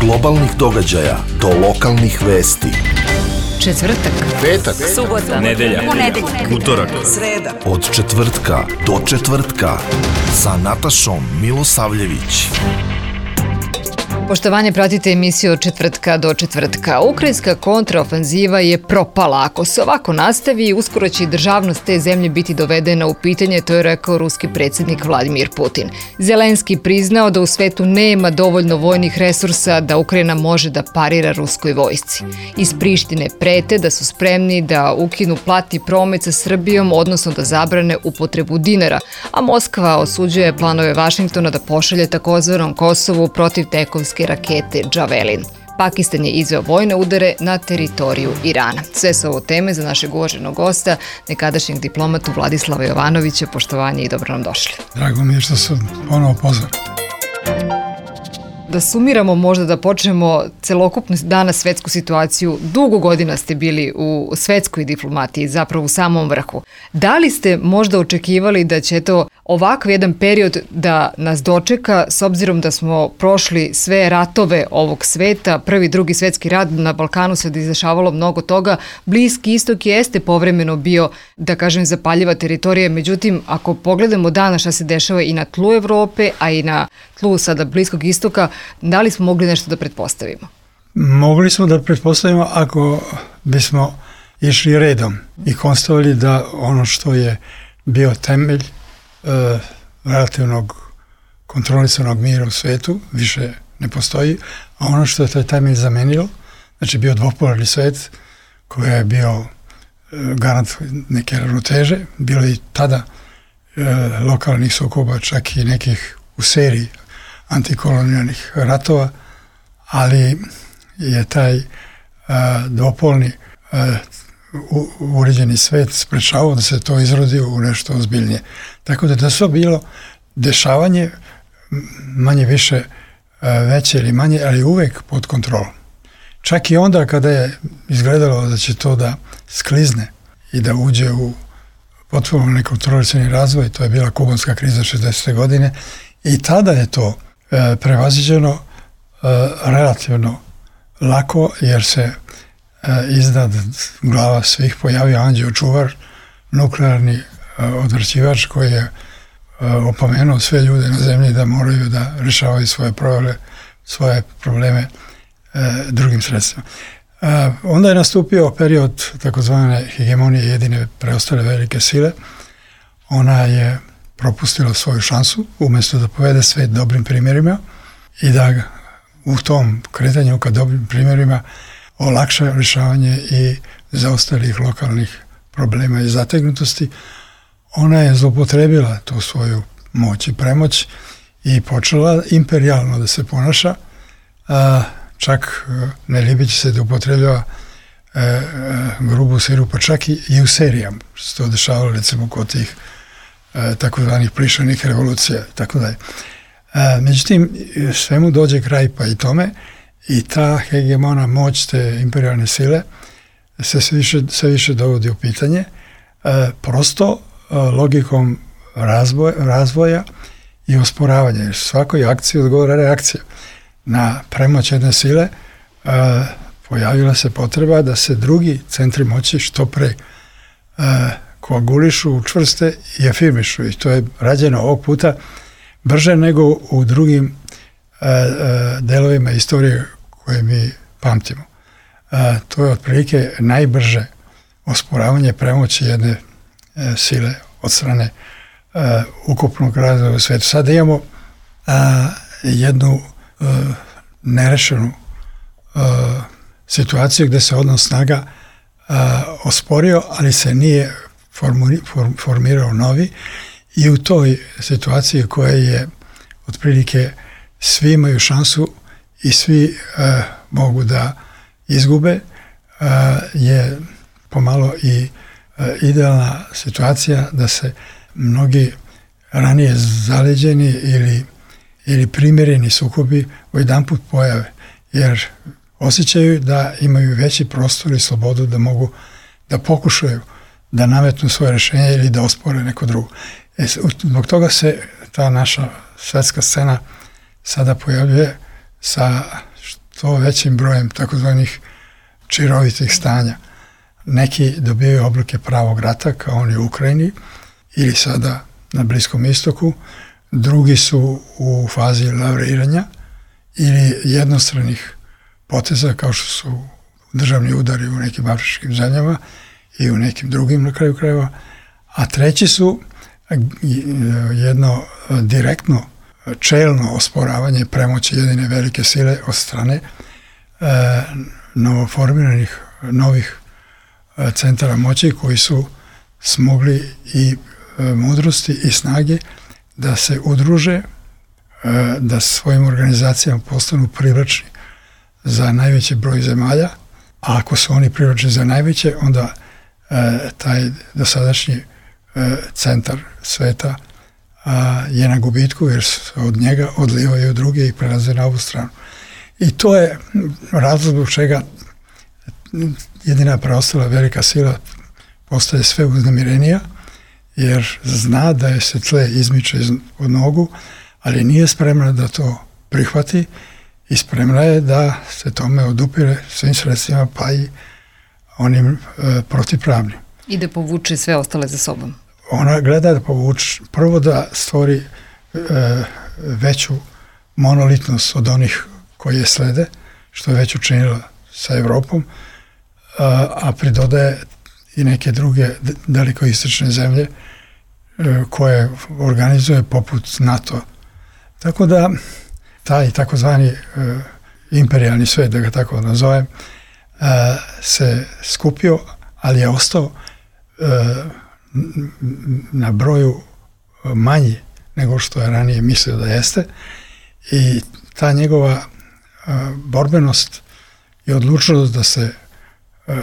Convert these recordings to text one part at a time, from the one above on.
globalnih događaja do lokalnih vesti. Četvrtak, petak, subota, nedelja, utorak, sreda. Od četvrtka do četvrtka sa Natašom Milosavljević. Poštovanje, pratite emisiju od četvrtka do četvrtka. Ukrajinska kontraofanziva je propala. Ako se ovako nastavi, uskoro će i državnost te zemlje biti dovedena u pitanje, to je rekao ruski predsjednik Vladimir Putin. Zelenski priznao da u svetu nema dovoljno vojnih resursa da Ukrajina može da parira ruskoj vojsci. Iz Prištine prete da su spremni da ukinu platni promet sa Srbijom, odnosno da zabrane upotrebu dinara, a Moskva osuđuje planove Vašingtona da pošalje takozvanom Kosovu protivtenkovske rakete Javelin. Pakistan je izveo vojne udare na teritoriju Irana. Sve su ovo teme za našeg uvaženog gosta, nekadašnjeg diplomatu Vladislava Jovanovića. Poštovanje i dobro nam došli. Drago mi je što sam ponovo pozvan. Da sumiramo, možda da počnemo celokupnu danas svetsku situaciju. Dugo godina ste bili u svetskoj diplomatiji, zapravo u samom vrhu. Da li ste možda očekivali da će to ovakav jedan period da nas dočeka, s obzirom da smo prošli sve ratove ovog sveta, prvi, drugi svetski rat, na Balkanu se izdešavalo mnogo toga, Bliski istok jeste povremeno bio, da kažem, zapaljiva teritorija, međutim, ako pogledamo danas šta se dešava i na tlu Evrope, a i na tlu sada Bliskog istoka, da li smo mogli nešto da pretpostavimo? Mogli smo da pretpostavimo ako bismo išli redom i konstatovali da ono što je bio temelj relativnog kontrolisanog mira u svetu više ne postoji, a ono što je taj temelj zamenilo, znači bio dvopolarni svet koji je bio garant neke ravnoteže, bilo i tada lokalnih sukoba, čak i nekih u seriji antikolonijalnih ratova, ali je taj dvopolni uređeni svet sprečavao da se to izrodi u nešto ozbiljnije. Tako da to bilo dešavanje manje više veće ili manje, ali uvek pod kontrolom. Čak i onda kada je izgledalo da će to da sklizne i da uđe u potpuno nekontrolisani razvoj, to je bila kubanska kriza 60. godine, i tada je to prevaziđeno relativno lako, jer se iznad glava svih pojavio anđeo čuvar, nuklearni odvrćivač koji je opomenuo sve ljude na zemlji da moraju da rešavaju svoje probleme drugim sredstvima. Onda je nastupio period takozvane hegemonije jedine preostale velike sile. Ona je propustila svoju šansu, umjesto da povede svet dobrim primjerima i da u tom kretanju ka dobrim primjerima olakša rješavanje i zaostalih lokalnih problema i zategnutosti. Ona je zloupotrebila tu svoju moć i premoć i počela imperijalno da se ponaša, čak ne libeći se da upotrebljava grubu silu, pa čak i u serijama, što se to dešavalo recimo kod tih takozvanih plišanih revolucija i tako dalje. Međutim, svemu dođe kraj pa i tome, i ta hegemona moć te imperijalne sile se sve više dovodi u pitanje, prosto logikom razvoja i osporavanja, jer svakoj akciji odgovara reakcija. Na premoć jedne sile pojavila se potreba da se drugi centri moći što pre koagulišu, učvrste i afirmišu, i to je rađeno ovog puta brže nego u drugim delovima istorije koje mi pamtimo. To je otprilike najbrže osporavanje premoći jedne sile od strane ukupnog razvoja u svijetu. Sad imamo jednu nerešenu situaciju gdje se odnos snaga osporio, ali se nije formirao novi, i u toj situaciji koja je otprilike svi imaju šansu i svi mogu da izgube, je pomalo i idealna situacija da se mnogi ranije zaleđeni ili primjereni sukobi odjedanput pojave, jer osjećaju da imaju veći prostor i slobodu da mogu da pokušaju da nametnu svoje rješenje ili da ospore neko drugo. Zbog toga se ta naša svetska scena sada pojavljuje sa što većim brojem takozvanih čirovitih stanja. Neki dobijaju oblike pravog rata, kao oni u Ukrajini, ili sada na Bliskom istoku, drugi su u fazi lavriranja ili jednostranih poteza, kao što su državni udari u nekim afričkim zemljama i u nekim drugim na kraju krajeva, a treći su jedno direktno čelno osporavanje premoći jedine velike sile od strane novoformiranih novih centara moći koji su smogli i mudrosti i snage da se udruže, da svojim organizacijama postanu privlačni za najveći broj zemalja, a ako su oni privlačni za najveće, onda taj dosadašnji centar sveta je na gubitku jer se od njega odlivaju druge i prelaze na ovu stranu. I to je razlog zbog čega jedina preostala velika sila postaje sve uznemirenija, jer zna da je se tle izmiče od nogu, ali nije spremna da to prihvati i spremna je da se tome odupire svim sredstvima, pa i onim protivpravnim. I da povuče sve ostale za sobom. Ona gleda da povuče, prvo da stvori veću monolitnost od onih koji je slede, što je već učinila sa Evropom, a pridodaje i neke druge dalikoistočne zemlje koje organizuje poput NATO. Tako da taj takozvani imperijalni svet, da ga tako nazovem, se skupio, ali je ostao na broju manji nego što je ranije mislio da jeste, i ta njegova borbenost i odlučnost da se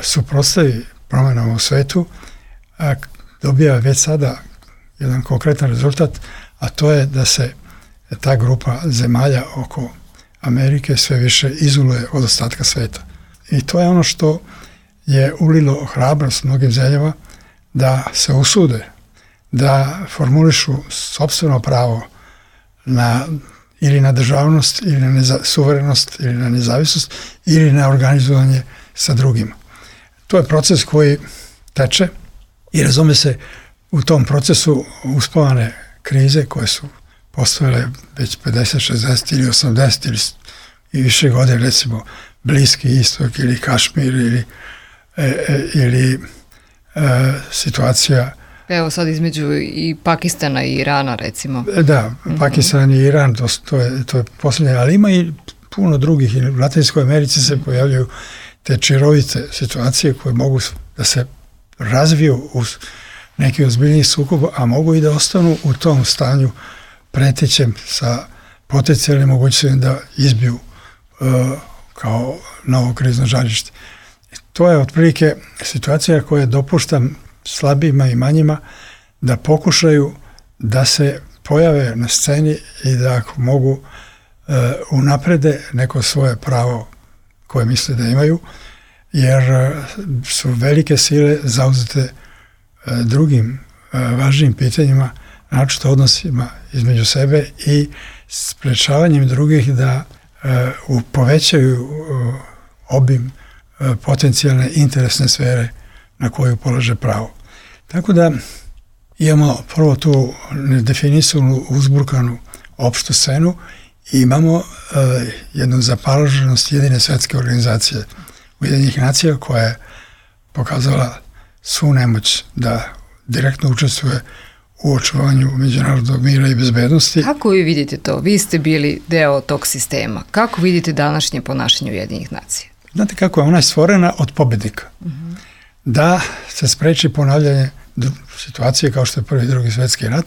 suprotstavi promjenama u svetu dobija već sada jedan konkretan rezultat, a to je da se ta grupa zemalja oko Amerike sve više izoluje od ostatka sveta. I to je ono što je ulilo hrabrost mnogim zemljama da se usude, da formulišu sopstveno pravo ili na državnost, ili na suverenost, ili na nezavisnost, ili na organizovanje sa drugima. To je proces koji teče i razume se u tom procesu uspavane krize koje su postojale već 50, 60 ili 80 ili više godine, recimo Bliski istok ili Kašmir ili situacija. Evo sad između i Pakistana i Irana, recimo. Da, Pakistan i Iran, to je posljednje, ali ima i puno drugih. I u Latinskoj Americi se pojavljaju te čirovite situacije koje mogu da se razviju u neki ozbiljniji sukob, a mogu i da ostanu u tom stanju pretećem sa potencijalnim mogućnostima da izbiju kao novo krizno žarište. To je otprilike situacija koja dopušta slabijima i manjima da pokušaju da se pojave na sceni i da ako mogu unaprede neko svoje pravo koje misle da imaju, jer su velike sile zauzete drugim važnim pitanjima, naročito odnosima između sebe i sprečavanjem drugih da povećaju obim potencijalne interesne sfere na koju polaže pravo. Tako da imamo prvo tu nedefinisanu, uzburkanu opštu scenu i imamo jednu zapaloženost jedine svetske organizacije Ujedinjenih nacija koja je pokazala svu nemoć da direktno učestvuje u očuvanju međunarodnog mira i bezbednosti. Kako vi vidite to? Vi ste bili deo tog sistema. Kako vidite današnje ponašanje Ujedinjenih nacija? Znate kako je ona stvorena od pobednika. Da se spreči ponavljanje situacije kao što je Prvi i Drugi svjetski rat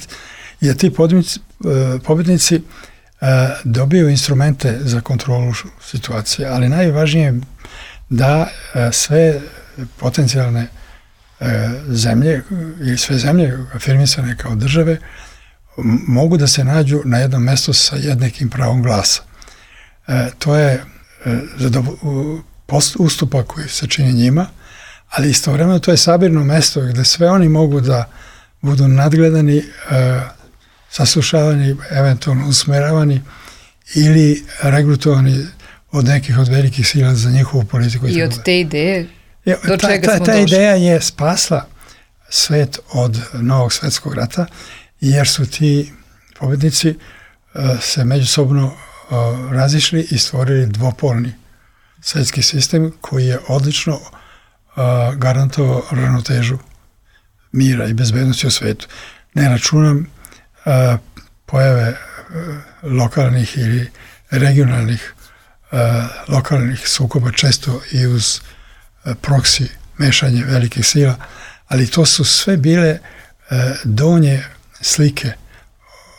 i da ti pobednici dobiju instrumente za kontrolu situacije, ali najvažnije je da sve potencijalne zemlje ili sve zemlje afirmisane kao države mogu da se nađu na jednom mjestu sa jednakim pravom glasa. To je ustupak koji se čini njima, ali istovremeno to je sabirno mesto gdje sve oni mogu da budu nadgledani, saslušavani, eventualno usmeravani ili regrutovani od nekih od velikih sila za njihovu politiku. I od te ideje do čega smo došli? Ta ideja je spasla svet od Novog svetskog rata, jer su ti pobednici se međusobno razišli i stvorili dvopolni svetski sistem koji je odlično garantovao ravnotežu mira i bezbednosti u svetu. Ne računam pojave lokalnih ili regionalnih lokalnih sukoba, često i uz proksi mešanje velikih sila, ali to su sve bile donje slike,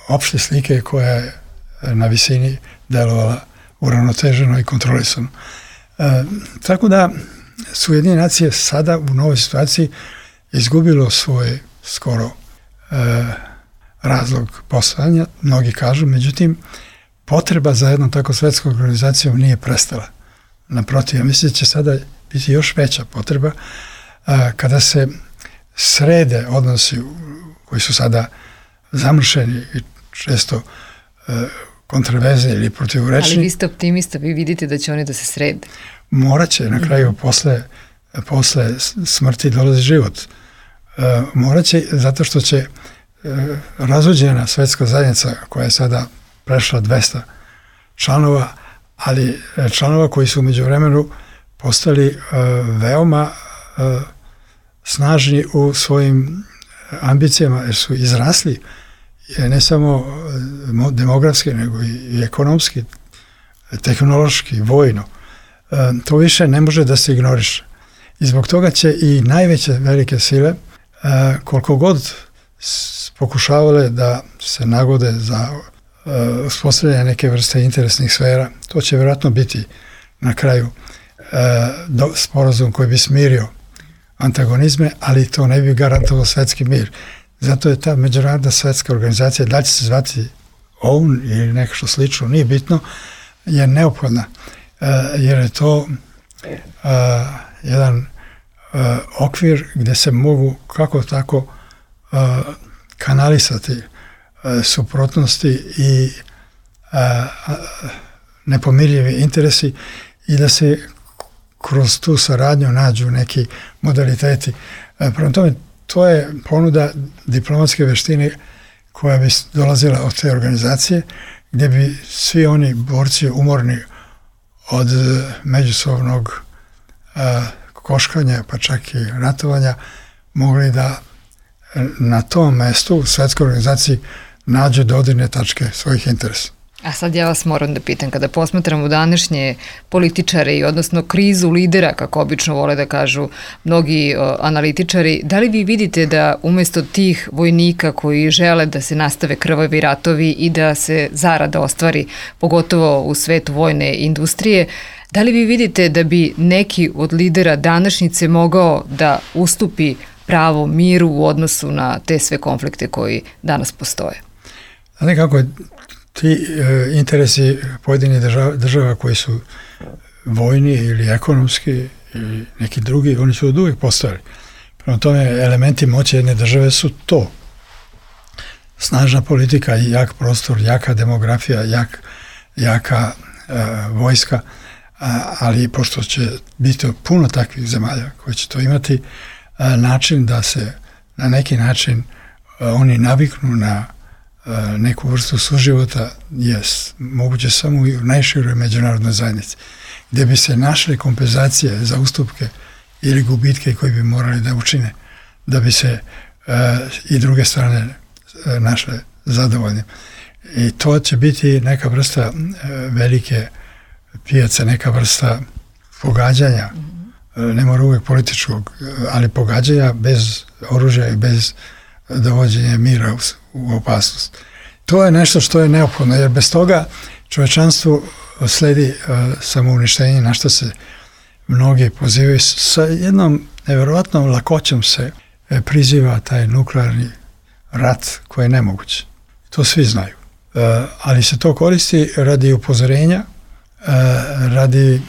opšte slike koja je na visini delovala uravnoteženo i kontrolisano. Tako da su Ujedinjene nacije sada u novoj situaciji izgubilo svoj skoro razlog postojanja, mnogi kažu, međutim potreba za jednom tako svetskom organizacijom nije prestala. Naprotiv, ja mislim da će sada biti još veća potreba kada se srede odnosi koji su sada zamršeni i često kontraverzni ili protivrečni. Ali vi ste optimista, vi vidite da će oni da se srede. Morat će na kraju posle smrti dolazi život. Morat će zato što će razuđena svetska zajednica koja je sada prešla 200 članova, ali članova koji su u međuvremenu postali veoma snažni u svojim ambicijama, jer su izrasli ne samo demografski, nego i ekonomski, tehnološki, vojno. To više ne može da se ignoriše. I zbog toga će i najveće velike sile, koliko god pokušavale da se nagode za uspostavljanje neke vrste interesnih sfera, to će vjerojatno biti na kraju sporazum koji bi smirio antagonizme, ali to ne bi garantovao svetski mir. Zato je ta međunarodna svetska organizacija, da će se zvati OUN ili nešto što slično, nije bitno, je neophodna, jer je to jedan okvir gdje se mogu kako tako kanalisati suprotnosti i nepomirljivi interesi i da se kroz tu saradnju nađu neki modaliteti. Prema tome, to je ponuda diplomatske veštine koja bi dolazila od te organizacije, gdje bi svi oni borci umorni od međusobnog koškanja, pa čak i ratovanja, mogli da na tom mestu u svetskoj organizaciji nađu dodirne tačke svojih interesa. A sad ja vas moram da pitam, kada posmatramo današnje političare i odnosno krizu lidera, kako obično vole da kažu mnogi analitičari, da li vi vidite da umjesto tih vojnika koji žele da se nastave krvavi ratovi i da se zarada ostvari, pogotovo u svetu vojne industrije, da li vi vidite da bi neki od lidera današnjice mogao da ustupi pravo miru u odnosu na te sve konflikte koji danas postoje? Znate kako ti interesi pojedinih država koji su vojni ili ekonomski ili neki drugi, oni su od uvijek postojali. Prema tome, elementi moći jedne države su to. Snažna politika i jak prostor, jaka demografija, jaka vojska, ali pošto će biti puno takvih zemalja koji će to imati, način da se na neki način oni naviknu na neku vrstu suživota je moguće samo i u najširoj međunarodnoj zajednici, gdje bi se našle kompenzacije za ustupke ili gubitke koji bi morali da učine, da bi se i druge strane našle zadovoljne. I to će biti neka vrsta velike pijace, neka vrsta pogađanja, ne mora uvijek političkog, ali pogađanja bez oružja i bez dovođenja mira u opasnost. To je nešto što je neophodno, jer bez toga čovečanstvu sledi samouništenje, na što se mnogi pozivaju. Sa jednom nevjerovatnom lakoćom se priziva taj nuklearni rat koji je nemoguć. To svi znaju. Ali se to koristi radi upozorenja, radi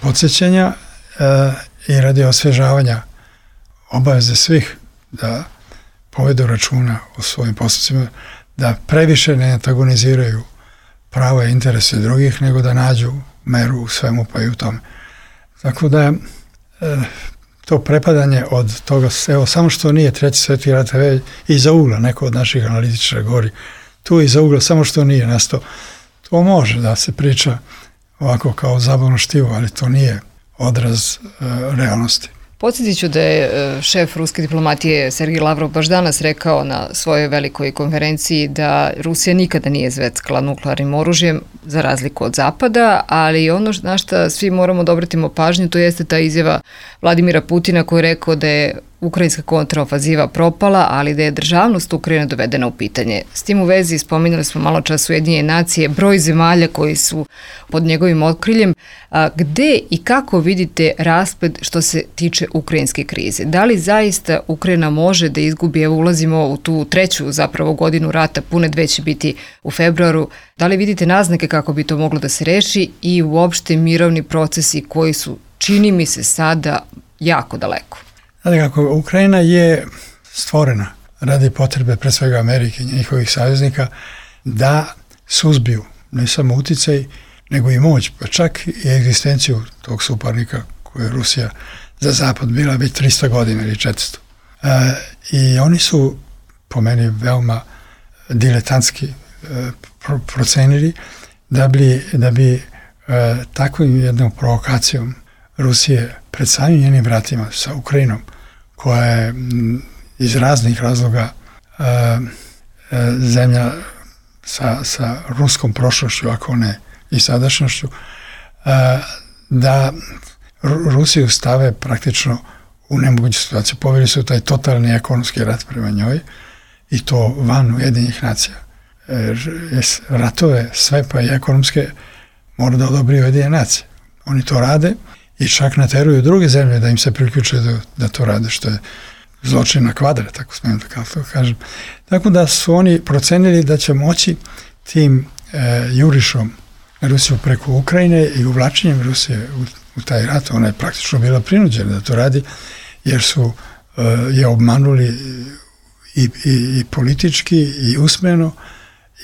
podsjećanja i radi osvježavanja obaveze svih da povedu računa o svojim postupcima, da previše ne antagoniziraju prava i interese drugih, nego da nađu meru u svemu, pa i u tome. Tako da to prepadanje od toga, evo, samo što nije Treći svjetski rat, iza ugla, neko od naših analitičara govori, tu iza ugla, samo što nije nastao. To može da se priča ovako kao zabavno štivo, ali to nije odraz realnosti. Podsjetit ću da je šef ruske diplomatije Sergej Lavrov baš danas rekao na svojoj velikoj konferenciji da Rusija nikada nije zveckala nuklearnim oružjem za razliku od Zapada, ali ono na što svi moramo da obratimo pažnju, to jeste ta izjava Vladimira Putina koji je rekao da je ukrajinska kontraofanziva propala, ali da je državnost Ukrajine dovedena u pitanje. S tim u vezi spominjali smo malo čas Ujedinjene nacije, broj zemalja koji su pod njegovim okriljem. Gde i kako vidite rasplet što se tiče ukrajinske krize? Da li zaista Ukrajina može da izgubi, evo ulazimo u tu treću zapravo godinu rata, pune 2 će biti u februaru, da li vidite naznake kako bi to moglo da se reši i uopšte mirovni procesi koji su, čini mi se sada, jako daleko? Znate kako, Ukrajina je stvorena radi potrebe pre svega Amerike i njihovih saveznika da suzbiju ne samo uticaj, nego i moć, pa čak i egzistenciju tog suparnika koju je Rusija za Zapad bila već 300 godina ili 400. I oni su, po meni, veoma diletantski procenili da bi takvom jednom provokacijom Rusije pred samim njenim vratima sa Ukrajinom, koja je iz raznih razloga zemlja sa ruskom prošlošću, ako ne i sadašnjošću, da Rusiju stave praktično u nemoguću situaciju. Poveli su taj totalni ekonomski rat prema njoj i to van Ujedinjenih nacija. Ratove, sve pa i ekonomske, mora da odobri Ujedinjene nacije. Oni to rade i čak nateruju druge zemlje da im se priključe da to rade, što je zločin na kvadrat, tako smijem da kažem. Tako da su oni procenili da će moći tim jurišom Rusiju preko Ukrajine i uvlačenjem Rusije u taj rat, ona je praktično bila prinuđena da to radi, jer su je obmanuli i politički, i usmeno,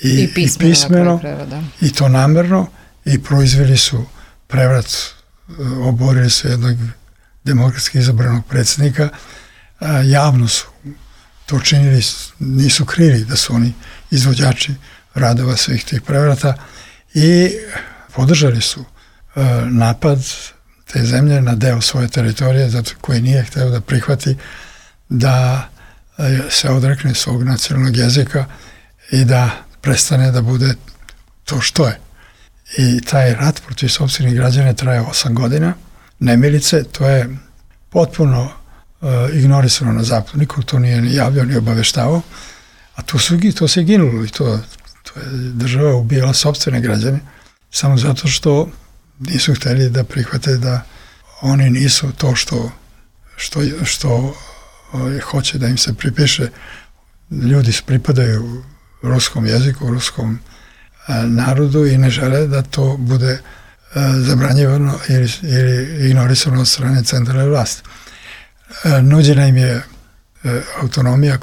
i pismeno, i to namerno, i proizveli su prevrat, oborili su jednog demokratski izabranog predsjednika, javno su to činili, nisu krili da su oni izvođači radova svih tih prevrata i podržali su napad te zemlje na deo svoje teritorije, zato koji nije hteo da prihvati da se odrekne svog nacionalnog jezika i da prestane da bude to što je. I taj rat protiv sopstvenih građana traje 8 godina. Nemilice, to je potpuno ignorisano na zapadu. Niko to nije ni javljao, ni obaveštavao. A to se ginulo i to je država ubijala sopstvene građane samo zato što nisu hteli da prihvate da oni nisu to što hoće da im se pripiše. Ljudi pripadaju ruskom jeziku, ruskom narodu i ne žele da to bude zabranjivano ili ignorisano od strane centralne vlasti. Nuđena im je autonomija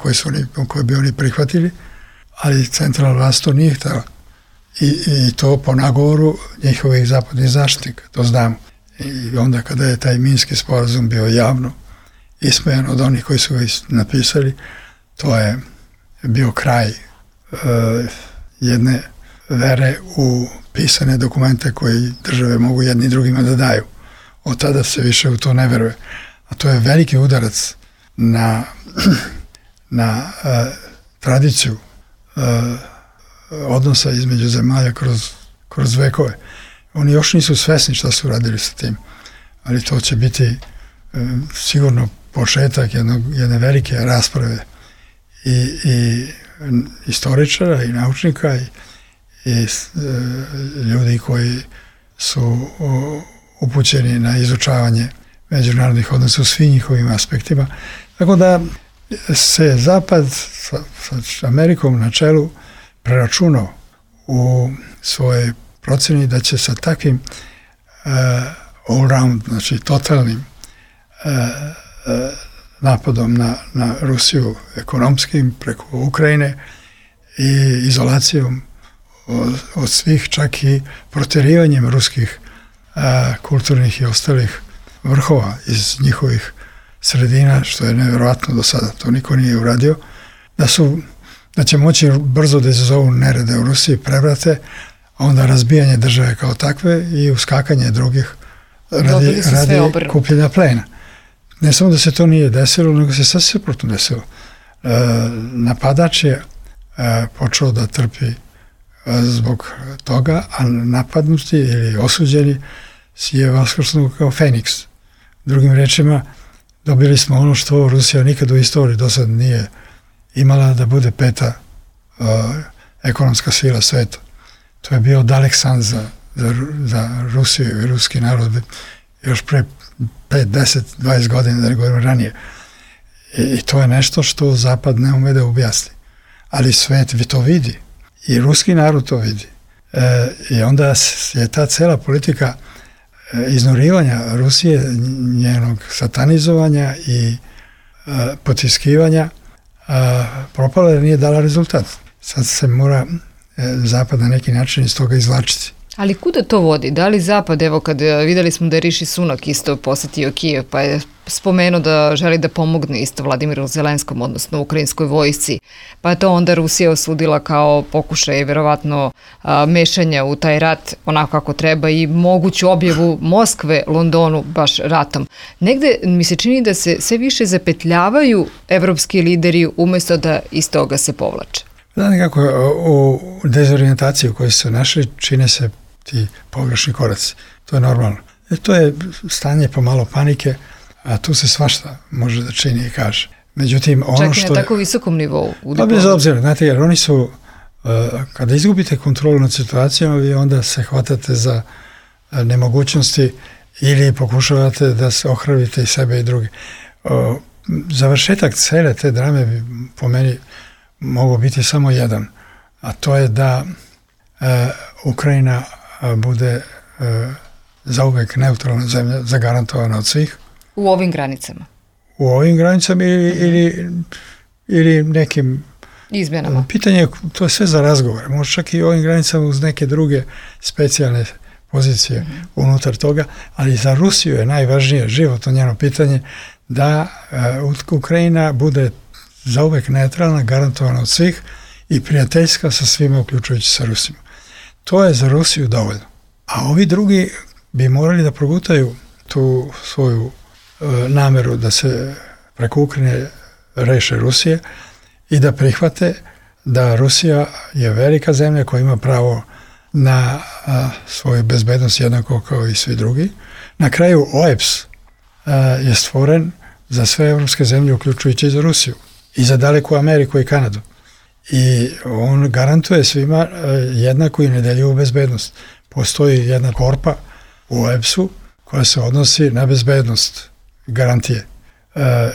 koju bi oni prihvatili, ali centralna vlast to nije htjela. I to po nagovoru njihovih zapadnih zaštitnika, to znamo. I onda kada je taj Minski sporazum bio javno ismejan od onih koji su ga napisali, to je bio kraj jedne vere u pisane dokumente koji države mogu jedni drugima da daju. Od tada se više u to ne veruje. A to je veliki udarac na tradiciju odnosa između zemalja kroz vekove. Oni još nisu svesni šta su radili sa tim, ali to će biti sigurno početak jedne velike rasprave i istoričara i naučnika i ljudi koji su upućeni na izučavanje međunarodnih odnosa u svim njihovim aspektima. Tako da se Zapad sa Amerikom na čelu preračunao u svojoj proceni da će sa takvim all-round, znači totalnim napadom na Rusiju ekonomskim preko Ukrajine i izolacijom od svih, čak i proterivanjem ruskih kulturnih i ostalih vrhova iz njihovih sredina, što je nevjerojatno do sada, to niko nije uradio, da će moći brzo da izazovu nerede u Rusiji, prevrate, a onda razbijanje države kao takve i uskakanje drugih radi kupljenja plena. Ne samo da se to nije desilo, nego se sasvim suprotno desilo. Napadač je počeo da trpi zbog toga, a napadnuti ili osuđeni je vaskrsnuo kao Feniks. Drugim rečima, dobili smo ono što Rusija nikad u istoriji do sad nije imala, da bude peta ekonomska sila sveta. To je bio dalek san za Rusiju i ruski narod još pre 5, 10, 20 godina, da ne govorim ranije. I to je nešto što Zapad ne ume da objasni. Ali svet to vidi. I ruski narod to vidi. I onda je ta cela politika iznurivanja Rusije, njenog satanizovanja i potiskivanja propala jer nije dala rezultat. Sad se mora Zapad na neki način iz toga izvlačiti. Ali kuda to vodi? Da li Zapad, evo kad videli smo da je Riši Sunak isto posetio Kijev, pa je spomenuo da želi da pomogne isto Vladimiru Zelenskom, odnosno ukrajinskoj vojsci, pa je to onda Rusija osudila kao pokušaj verovatno mešanja u taj rat onako kako treba i moguću objavu Moskve Londonu baš ratom. Negde mi se čini da se sve više zapetljavaju evropski lideri umjesto da iz toga se povlače. Da, nekako u dezorijentaciji u kojoj su našli čine se ti pogrešni koraci. To je normalno. To je stanje pomalo panike, a tu se svašta može da čini i kaže. Međutim, ono čak i na tako visokom nivou. Pa bez obzira, znate, jer oni su, kada izgubite kontrolu nad situacijom, vi onda se hvatate za nemogućnosti ili pokušavate da se ohrabite i sebe i druge. Završetak cele te drame bi po meni mogao biti samo jedan, a to je da Ukrajina bude zauvek neutralna zemlja, zagarantovana od svih. U ovim granicama? U ovim granicama ili nekim izmjenama. Pitanje je, to je sve za razgovor. Može čak i u ovim granicama uz neke druge specijalne pozicije unutar toga, ali za Rusiju je najvažnije životno njeno pitanje da Ukrajina bude zauvek neutralna, garantovana od svih i prijateljska sa svima, uključujući sa Rusima. To je za Rusiju dovoljno. A ovi drugi bi morali da progutaju tu svoju nameru da se preko Ukrajine reše Rusije i da prihvate da Rusija je velika zemlja koja ima pravo na svoju bezbednost jednako kao i svi drugi. Na kraju OEBS je stvoren za sve evropske zemlje, uključujući i za Rusiju i za daleku Ameriku i Kanadu. I on garantuje svima jednaku i nedeljivu bezbednost. Postoji jedna korpa u OEBS-u koja se odnosi na bezbednost garantije.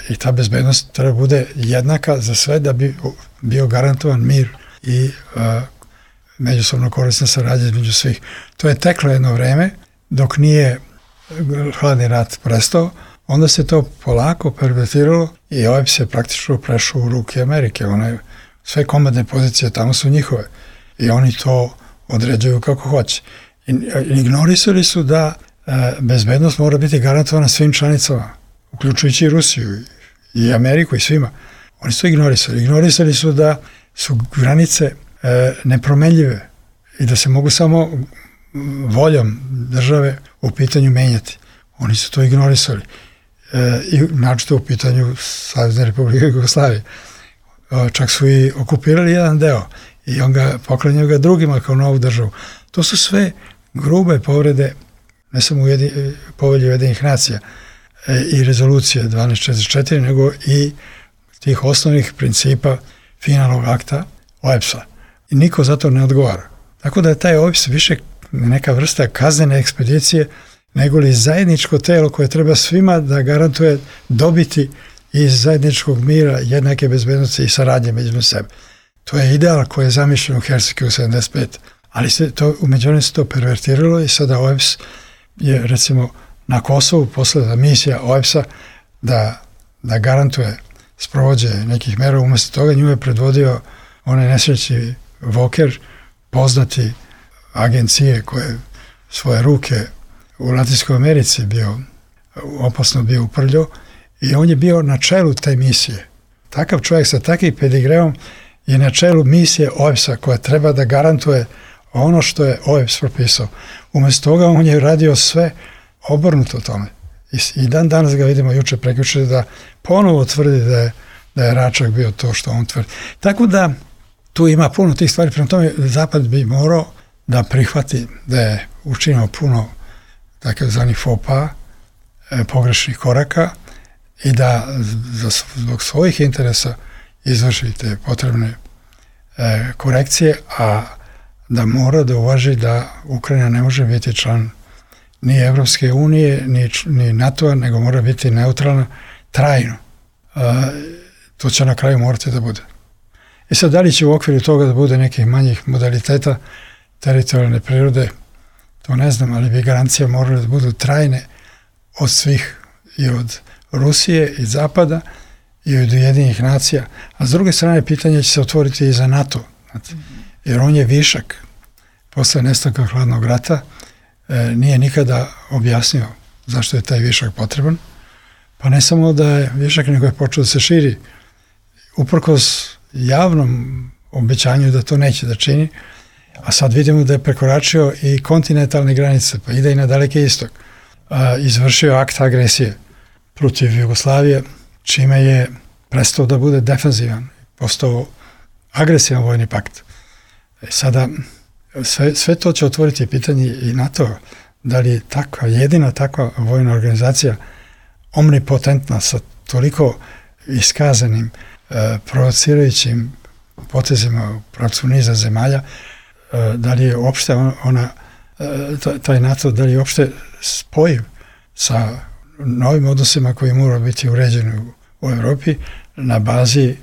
I ta bezbednost treba bude jednaka za sve da bi bio garantovan mir i međusobno korisna saradnja između svih. To je teklo jedno vreme dok nije hladni rat prestao, onda se to polako pervertiralo i OEBS je praktično prešao u ruke Amerike. Sve komandne pozicije tamo su njihove i oni to određuju kako hoće. Ignorisali su da bezbednost mora biti garantovana svim članicama, uključujući i Rusiju i Ameriku i svima. Oni su to ignorisali. Ignorisali su da su granice nepromenljive i da se mogu samo voljom države u pitanju menjati. Oni su to ignorisali. I naročito u pitanju Savezne Republike Jugoslavije. Čak su i okupirali jedan deo i on ga poklanjaju ga drugima kao novu državu. To su sve grube povrede, ne samo Povelje Ujedinjenih nacija i rezolucije 1244, nego i tih osnovnih principa finalnog akta OEBS-a. I niko za to ne odgovara. Tako da je taj OEBS više neka vrsta kaznene ekspedicije nego li zajedničko telo koje treba svima da garantuje dobiti iz zajedničkog mira, jednake bezbednosti i saradnje među sebe. To je ideal koji je zamišljen u Helsinkiju 75. Ali umeđutim se to pervertiralo i sada OEBS je recimo na Kosovu poslata misija OEBS-a da garantuje sprovođenje nekih mera. Umjesto toga nju je predvodio onaj nesrećni Voker, poznati agencije koje svoje ruke u Latinskoj Americi opasno bio uprljao i on je bio na čelu te misije. Takav čovjek sa takvim pedigreom je na čelu misije OEBS-a koja treba da garantuje ono što je OEBS propisao. Umjesto toga on je radio sve obrnuto tome. I dan danas ga vidimo prekjuče da ponovo tvrdi da je Račak bio to što on tvrdi. Tako da tu ima puno tih stvari, prema tome Zapad bi morao da prihvati da je učinio puno takozvanih faux pas, pogrešnih koraka i da zbog svojih interesa izvrši te potrebne korekcije, a da mora da uvaži da Ukrajina ne može biti član ni Evropske unije, ni NATO-a, nego mora biti neutralna trajno. To će na kraju morati da bude. I sad, da li će u okviru toga da bude nekih manjih modaliteta teritorijalne prirode, to ne znam, ali bi garancija morale da budu trajne od svih, i od Rusije i Zapada i od Ujedinjenih nacija. A s druge strane, pitanje će se otvoriti i za NATO. Jer on je višak. Posle nestanka hladnog rata nije nikada objasnio zašto je taj višak potreban. Pa ne samo da je višak, nego je počeo da se širi uprkos javnom obećanju da to neće da čini, a sad vidimo da je prekoračio i kontinentalne granice, pa ide i na Daleki istok. Izvršio akt agresije protiv Jugoslavije, čime je prestao da bude defenzivan, postao agresivan vojni pakt. Sada, sve to će otvoriti pitanje i NATO, da li je jedina takva vojna organizacija omnipotentna sa toliko iskazanim provocirajućim potezima u pravcu niza zemalja, da li je uopšte taj NATO, da li je uopšte spojiv sa novim odnosima koji moraju biti uređeni u Evropi na bazi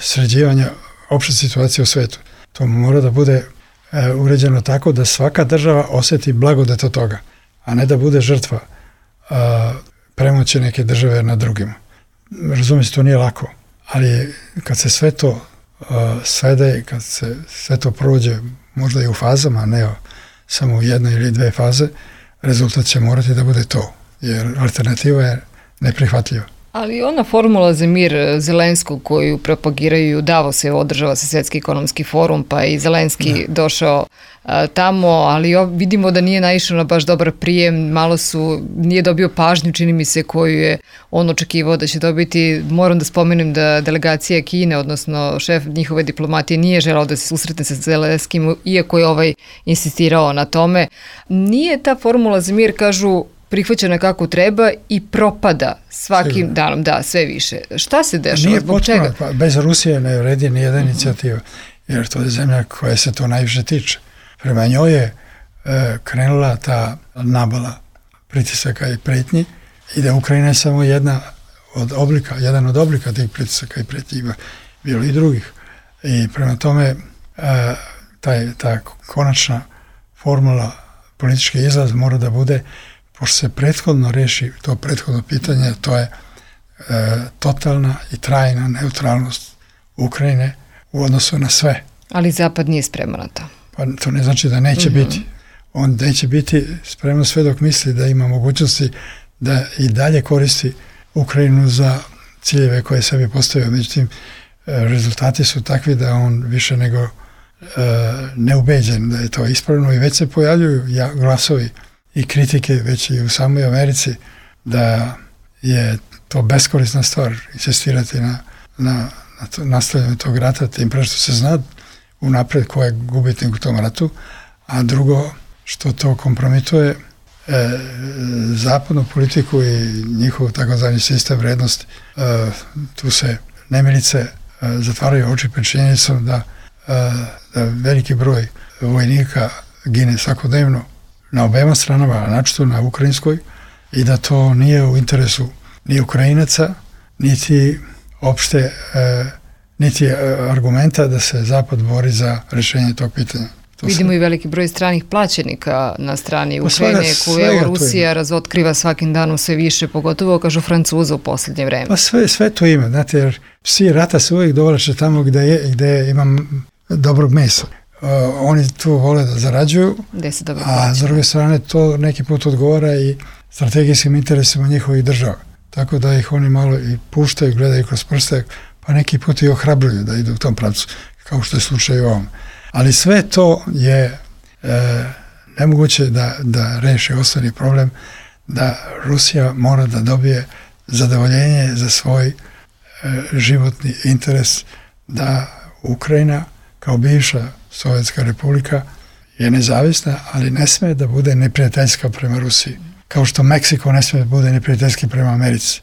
sređivanja opšte situacije u svetu. To mora da bude uređeno tako da svaka država osjeti blagodet od toga, a ne da bude žrtva premoći neke države nad drugima. Razumijem se, to nije lako, ali kad se sve to svede, kad se sve to prođe možda i u fazama, ne samo u jednoj ili dve faze, rezultat će morati da bude to, jer alternativa je neprihvatljiva. Ali ona formula za mir Zelenskog koju propagiraju Davos je održava se Svjetski ekonomski forum, pa i Zelenski došao tamo, ali vidimo da nije naišao na baš dobar prijem, nije dobio pažnju, čini mi se, koju je on očekivao da će dobiti. Moram da spomenem da delegacija Kine, odnosno šef njihove diplomatije, nije želao da se susretne sa Zelenskim, iako je insistirao na tome. Nije ta formula za mir, kažu, prihvaćena kako treba i propada svakim danom, sve više. Šta se dešava? Zbog čega? Pa bez Rusije ne vredi ni jedna inicijativa, jer to je zemlja koja se to najviše tiče. Prema njoj je krenula ta nabala pritisaka i pretnji i da Ukrajina je samo jedan od oblika tih pritisaka i pretnji, ima bilo i drugih. I prema tome ta konačna formula, politički izlaz mora da bude, pošto se prethodno reši to prethodno pitanje, to je totalna i trajna neutralnost Ukrajine u odnosu na sve. Ali Zapad nije spreman na to. Pa to ne znači da neće biti. On neće biti spreman sve dok misli da ima mogućnosti da i dalje koristi Ukrajinu za ciljeve koje sebi postavio. Međutim, rezultati su takvi da on više nego neubeđen da je to ispravno i već se pojavljuju glasovi i kritike već i u samoj Americi da je to beskorisna stvar insistirati na nastavljanju tog rata, tim pre što se zna unapred ko je gubitnik u tom ratu, a drugo što to kompromituje zapadnu politiku i njihov takozvani sistem vrednosti. Tu se nemilice zatvaraju oči pred činjenicom da veliki broj vojnika gine svakodnevno na obema stranama, načito na ukrajinskoj, i da to nije u interesu ni Ukrajinaca, niti opšte niti argumenta da se Zapad bori za rješenje tog pitanja. Vidimo i veliki broj stranih plaćenika na strani Ukrajine, koju Rusija razotkriva svakim danom sve više, pogotovo, kažu, Francuza u posljednje vreme. Pa sve to ima, znate, jer psi rata se uvijek dovlače tamo gde imam dobrog mesa. oni tu vole da zarađuju, a s druge strane to neki put odgovara i strategijskim interesima njihovih država. Tako da ih oni malo i puštaju, gledaju kroz prste, pa neki put i ohrabruju da idu u tom pravcu, kao što je slučaj u ovom. Ali sve to je nemoguće da reši osnovni problem, da Rusija mora da dobije zadovoljenje za svoj životni interes, da Ukrajina kao bivša Sovjetska republika je nezavisna, ali ne sme da bude neprijateljska prema Rusiji. Kao što Meksiko ne sme da bude neprijateljski prema Americi,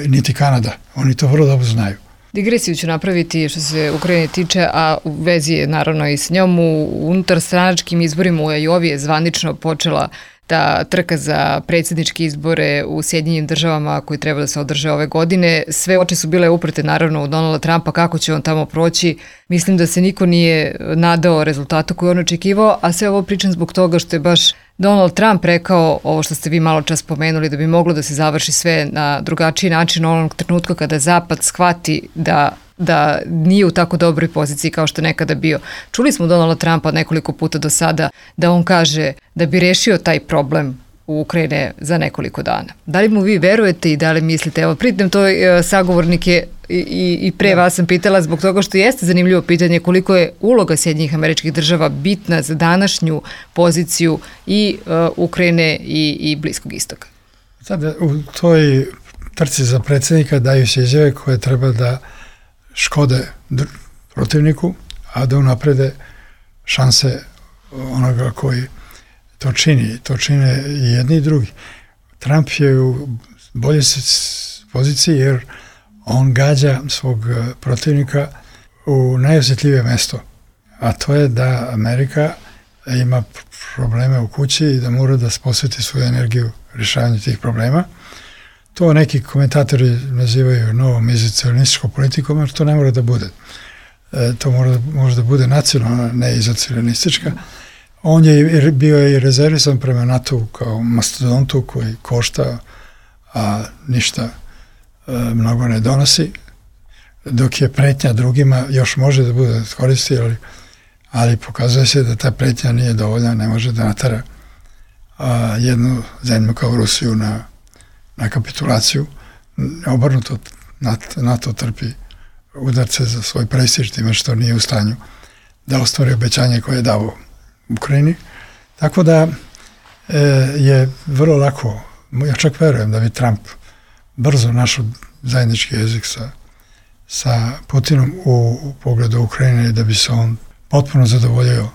niti Kanada. Oni to vrlo dobro znaju. Digresiju ću napraviti što se Ukrajine tiče, a u vezi je naravno i s njom. Unutar stranačkim izborima u Ajovi je zvanično počela ta trka za predsjedničke izbore u Sjedinjenim državama koji treba da se održe ove godine. Sve oči su bile uprte naravno u Donalda Trumpa, kako će on tamo proći. Mislim da se niko nije nadao rezultatu koji on očekivao, a sve ovo pričam zbog toga što je baš Donald Trump rekao ovo što ste vi malo čas spomenuli, da bi moglo da se završi sve na drugačiji način onog trenutka kada Zapad shvati da nije u tako dobroj poziciji kao što je nekada bio. Čuli smo Donalda Trumpa nekoliko puta do sada da on kaže da bi rešio taj problem u Ukrajine za nekoliko dana. Da li mu vi verujete i da li mislite? Evo, pritom to sagovornike i pre vas sam pitala zbog toga što jeste zanimljivo pitanje koliko je uloga Sjedinjenih Američkih Država bitna za današnju poziciju i Ukrajine i Bliskog istoka. Sada u toj trci za predsjednika daju se izjave koje treba da škode protivniku, a da unaprede šanse onoga koji to čini. To čine i jedni i drugi. Trump je u boljoj poziciji jer on gađa svog protivnika u najosjetljivije mesto, a to je da Amerika ima probleme u kući i da mora da posveti svoju energiju rješavanju tih problema. To neki komentatori nazivaju novom izolacionističkom politikom, jer to ne mora da bude. To može da bude nacionalna, ne izolacionistička. On je bio i rezervisan prema NATO kao mastodontu koji košta, a ništa mnogo ne donosi, dok je pretnja drugima još može da bude koristi, ali pokazuje se da ta pretnja nije dovoljna, ne može da natara jednu zemlju kao Rusiju na kapitulaciju. Obrnuto NATO trpi udarce za svoj prestiž time što nije u stanju da ostvari obećanje koje je dao Ukrajini. Tako da je vrlo lako, ja čak verujem da bi Trump brzo našao zajednički jezik sa Putinom u pogledu Ukrajine i da bi se on potpuno zadovoljio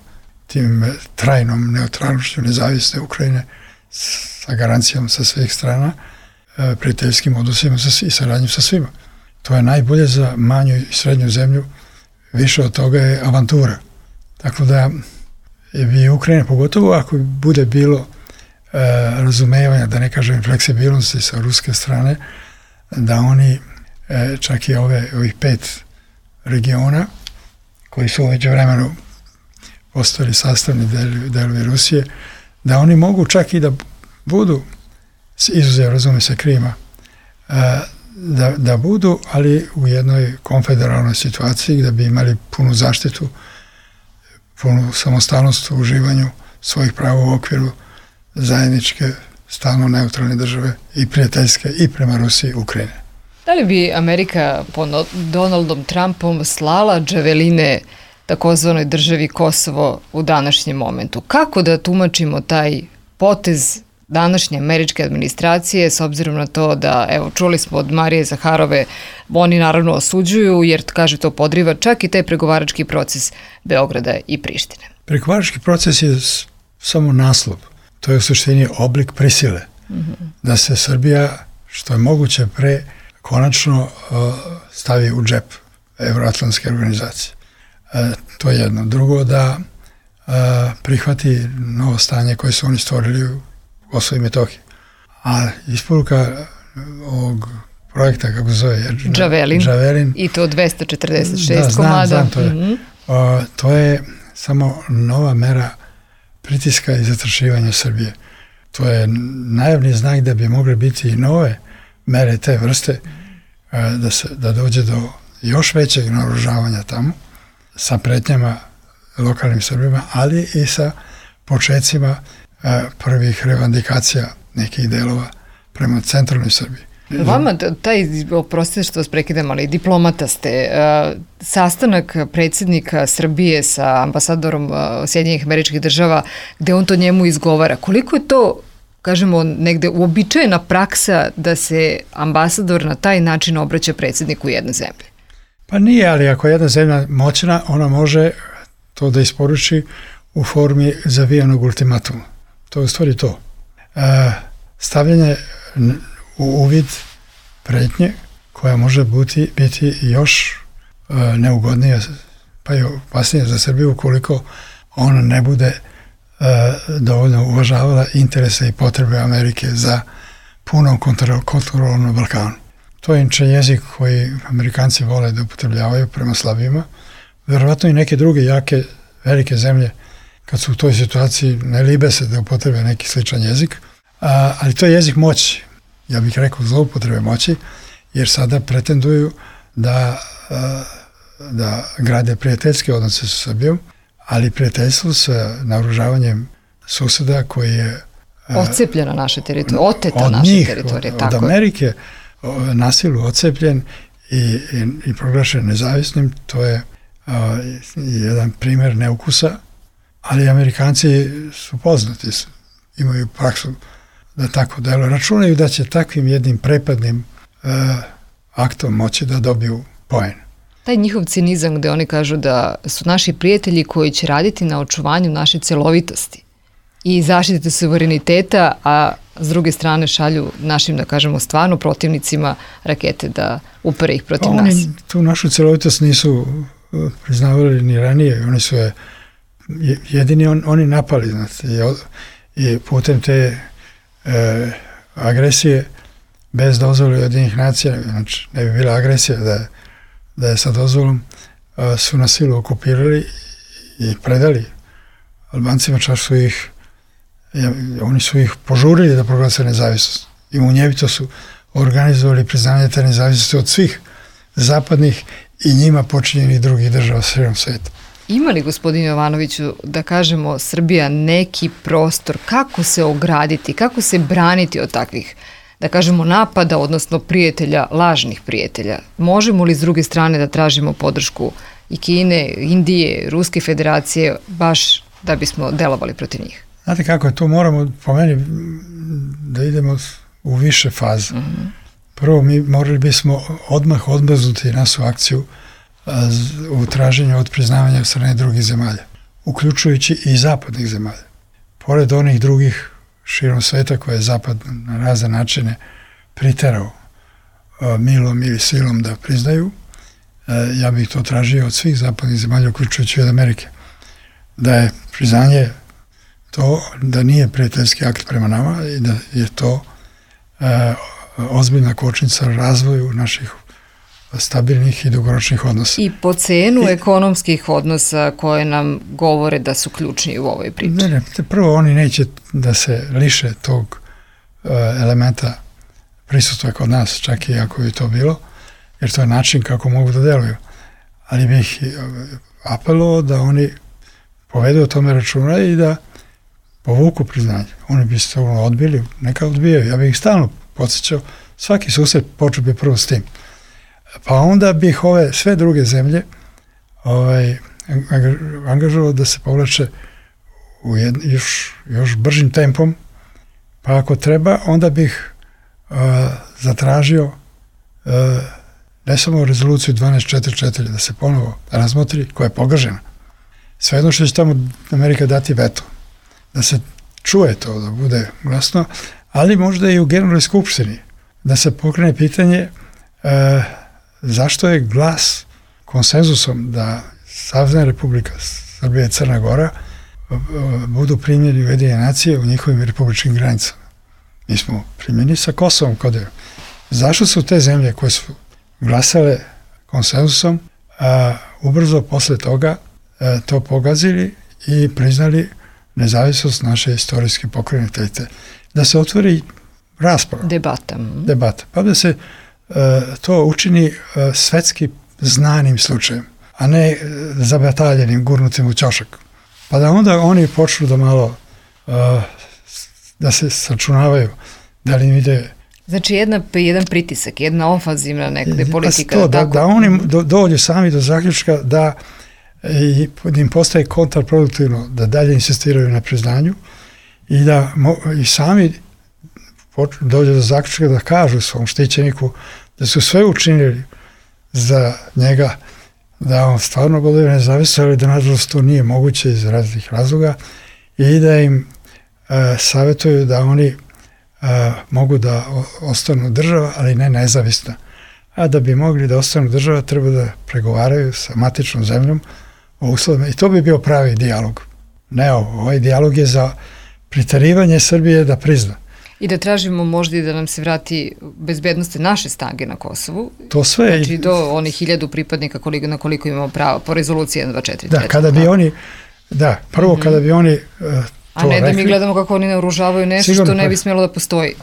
tim trajnom neutralnošću nezavisne Ukrajine sa garancijom sa svih strana, prijateljskim odnosima i saradnjom sa svima. To je najbolje za manju i srednju zemlju, više od toga je avantura. Tako da bi Ukrajina, pogotovo ako bude bilo razumevanja, da ne kažem fleksibilnosti sa ruske strane, da oni čak i ovih 5 regiona koji su umeđu vremenu postali sastavni delovi Rusije, da oni mogu čak i da budu, izuzev razume se Krima, da budu, ali u jednoj konfederalnoj situaciji gdje bi imali punu zaštitu, punu samostalnost u uživanju svojih prava u okviru zajedničke, stalno neutralne države i prijateljske i prema Rusiji i Ukrajine. Da li bi Amerika pod Donaldom Trumpom slala džaveline takozvanoj državi Kosovo u današnjem momentu? Kako da tumačimo taj potez današnje američke administracije s obzirom na to da, evo, čuli smo od Marije Zaharove, oni naravno osuđuju jer, kaže, to podriva čak i taj pregovarački proces Beograda i Prištine. Pregovarački proces je samo naslov. To je u suštini oblik prisile. Da se Srbija, što je moguće pre, konačno stavi u džep Evroatlantske organizacije. To je jedno. Drugo, da prihvati novo stanje koje su oni stvorili u Kosovo i Metohiji. A isporuka ovog projekta, kako se zove? Džavelin. I to 246 komada. Znam, to je. To je samo nova mera pritiska i zastrašivanja Srbije. To je najavni znak da bi mogle biti i nove mere te vrste, da dođe do još većeg naoružavanja tamo, sa pretnjama lokalnim Srbima, ali i sa počecima prvih revandikacija nekih delova prema centralnoj Srbiji. Vama, oprostite što vas prekidam, ali diplomata ste. Sastanak predsjednika Srbije sa ambasadorom Sjedinjenih Američkih Država, gde on to njemu izgovara, koliko je to, kažemo, negde uobičajena praksa da se ambasador na taj način obraća predsjedniku jedne zemlje? Pa nije, ali ako je jedna zemlja moćna, ona može to da isporuči u formi zavijanog ultimatuma. To je u stvari to. Stavljanje u uvid pretnje koja može biti još neugodnija, pa i opasnija za Srbiju ukoliko ona ne bude dovoljno uvažavala interese i potrebe Amerike za punom kontrolom na Balkanu. To je inače jezik koji Amerikanci vole da upotrebljavaju prema slabijima. Verovatno i neke druge jake, velike zemlje, kad su u toj situaciji, ne libe se da upotrebe neki sličan jezik, ali to je jezik moći. Ja bih rekao zloupotrebe moći, jer sada pretenduju da grade prijateljske odnose sa Srbijom, ali prijateljstvo sa naoružavanjem suseda koji je odcepljena naša teritorija, oteta naša teritorija. Od Amerike na silu odcepljen i proglašen nezavisnim, to je jedan primjer neukusa, ali Amerikanci su poznati, imaju praksu da tako delo. Računaju da će takvim jednim prepadnim aktom moći da dobiju poen. Taj njihov cinizam gde oni kažu da su naši prijatelji koji će raditi na očuvanju naše celovitosti i zaštite suvereniteta, a s druge strane šalju našim, da kažemo, stvarno protivnicima rakete da upere ih protiv nas. Oni tu našu celovitost nisu priznavali ni ranije, oni su je jedini oni napali, znači, i putem te agresije bez dozvole Ujedinjenih nacija, znači ne bi bila agresija da je sa dozvolom, su na silu okupirali i predali Albancima, čak su oni su ih požurili da proglase nezavisnost i munjevito su organizovali priznanje te nezavisnosti od svih zapadnih i njima počinjenih drugih država širom sveta. Ima li, gospodin Jovanoviću, da kažemo, Srbija neki prostor kako se ograditi, kako se braniti od takvih, da kažemo, napada, odnosno prijatelja, lažnih prijatelja? Možemo li s druge strane da tražimo podršku i Kine, Indije, Ruske federacije, baš da bismo delovali protiv njih? Znate kako je to, moramo po meni da idemo u više faze. Prvo, mi morali bismo odmah odmrznuti našu akciju u traženju od priznavanja od strane drugih zemalja, uključujući i zapadnih zemalja. Pored onih drugih širom sveta koje je Zapad na razne načine priterao milom ili silom da priznaju, ja bih to tražio od svih zapadnih zemalja, uključujući od Amerike. Da je priznanje to da nije prijateljski akt prema nama i da je to ozbiljna kočnica razvoju naših stabilnih i dugoročnih odnosa. I po cenu ekonomskih odnosa koje nam govore da su ključni u ovoj priči. Ne, prvo oni neće da se liše tog elementa prisustva kod nas, čak i ako bi to bilo, jer to je način kako mogu da deluju. Ali bih apelovao da oni povedu o tome računa i da povuku priznanje. Oni bi se to odbili, neka odbijaju. Ja bih ih stalno podsjećao, svaki susret počeo bi prvo s tim. Pa onda bih ove sve druge zemlje angažovao da se povlače u još bržim tempom, pa ako treba, onda bih zatražio ne samo rezoluciju 1244 da se ponovo razmotri, koja je pogažena. Svejedno što će tamo Amerika dati veto, da se čuje to, da bude glasno, ali možda i u Generalnoj skupštini, da se pokrene pitanje zašto je glas konsenzusom da Savezna Republika Srbija i Crna Gora budu primljeni u Ujedinjene nacije u njihovim republičkim granicama. Mi smo primljeni sa Kosovom kao deo. Zašto su te zemlje koje su glasale konsenzusom ubrzo posle toga to pogazili i priznali nezavisnost naše istorijske pokrajine? Da se otvori rasprava. Debata. Pa da se to učini svetski znanim slučajem. a ne zabataljenim, gurnutim u ćošak. Pa da onda oni počnu da malo da se sačunavaju, da li im ide... Znači jedan pritisak, jedna ofanzivna nekde politika. To, da oni dođu sami do zaključka da im postaje kontraproduktivno da dalje insistiraju na priznanju i da i sami dođu do zaključka da kažu svom štićeniku da su sve učinili za njega, da on stvarno bude nezavisno, ali da nažalost to nije moguće iz različitih razloga i da im savjetuju da oni mogu da ostanu država, ali ne nezavisna. A da bi mogli da ostanu država, treba da pregovaraju sa matičnom zemljom o uslovima. I to bi bio pravi dijalog. Ne ovaj dijalog je za priterivanje Srbije da prizna. I da tražimo možda i da nam se vrati bezbednosti naše snage na Kosovu. To sve. Znači do onih 1000 pripadnika na koliko imamo pravo po rezoluciji 1.2.4. Da, kada bi oni, prvo kada bi oni a ne da mi gledamo kako oni naoružavaju nešto sigurno, što ne bi smjelo da postoji.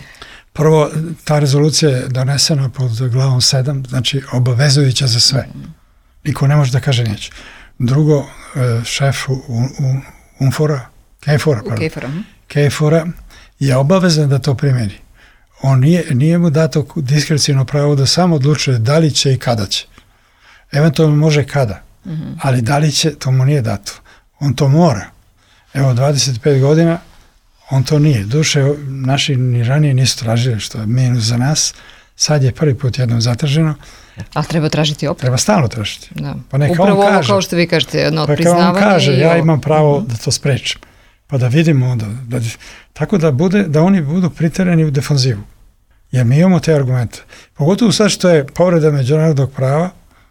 Prvo, ta rezolucija je donesena pod glavom 7, znači obavezujuća za sve. Niko ne može da kaže neće. Drugo, šef KFOR-a je obavezan da to primjeni. On nije mu dato diskrecijno pravo da samo odlučuje da li će i kada će. Eventualno može kada, ali da li će, to mu nije dato. On to mora. Evo, 25 godina, on to nije. Duše, naši ni ranije nisu tražili, što je minus za nas. Sad je prvi put jednom zatraženo. Ali treba tražiti opet. Treba stalno tražiti. Da. Pa neka upravo on kaže, ovo kao što vi kažete, jedno priznavanje. Pa on kaže, ja imam pravo da to sprečim. Pa da vidimo onda. Tako da oni budu priterani u defanzivu. Jer mi imamo te argumente. Pogotovo sad što je povreda međunarodnog prava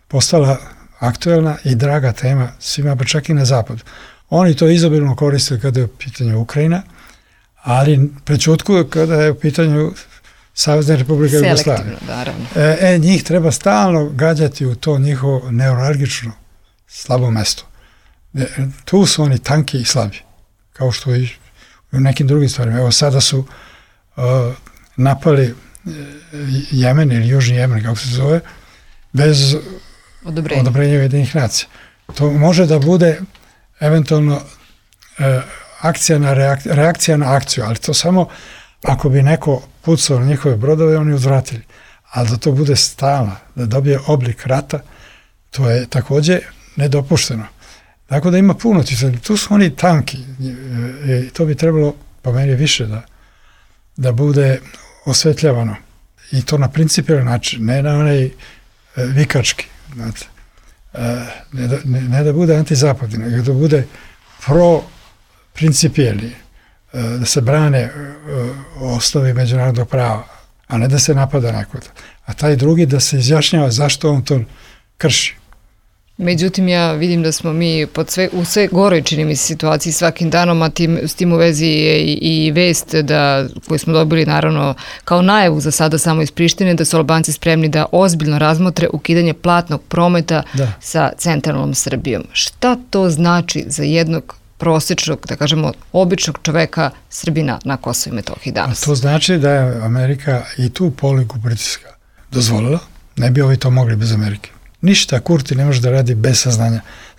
postala aktuelna i draga tema svima, pa čak i na zapadu. Oni to izobilno koriste kada je u pitanju Ukrajina, ali prećutkuju kada je u pitanju Savezne Republike Jugoslavije. Njih treba stalno gađati u to njihovo neuralgično slabo mesto. Tu su oni tanki i slabi, kao što i u nekim drugim stvarima. Evo sada su napali Jemen ili Južni Jemen, kako se zove, bez odobrenja Ujedinjenih nacija. To može da bude eventualno reakcija na akciju, ali to samo ako bi neko pucao na njihove brodove, oni uzvratili. Ali da to bude stalno, da dobije oblik rata, to je također nedopušteno. Tako da ima puno, tu su oni tanki i to bi trebalo, po meni, više da bude osvetljavano. I to na principijelan način, ne na onaj vikački, znate. Ne da bude antizapadni, nego da bude pro-principijelni, da se brane osnovi međunarodnog prava, a ne da se napada nekoga. A taj drugi da se izjašnjava zašto on to krši. Međutim, ja vidim da smo mi u sve goroj, čini mi se, situaciji svakim danom, a s tim u vezi je i vest koju smo dobili naravno kao najavu za sada samo iz Prištine, da su Albanci spremni da ozbiljno razmotre ukidanje platnog prometa sa centralnom Srbijom. Šta to znači za jednog prosječnog, da kažemo, običnog čoveka Srbina na Kosovu i Metohiji danas? A to znači da je Amerika i tu poliku pritiska dozvolila, ne bi ovi to mogli bez Amerike. Ništa Kurti ne može da radi bez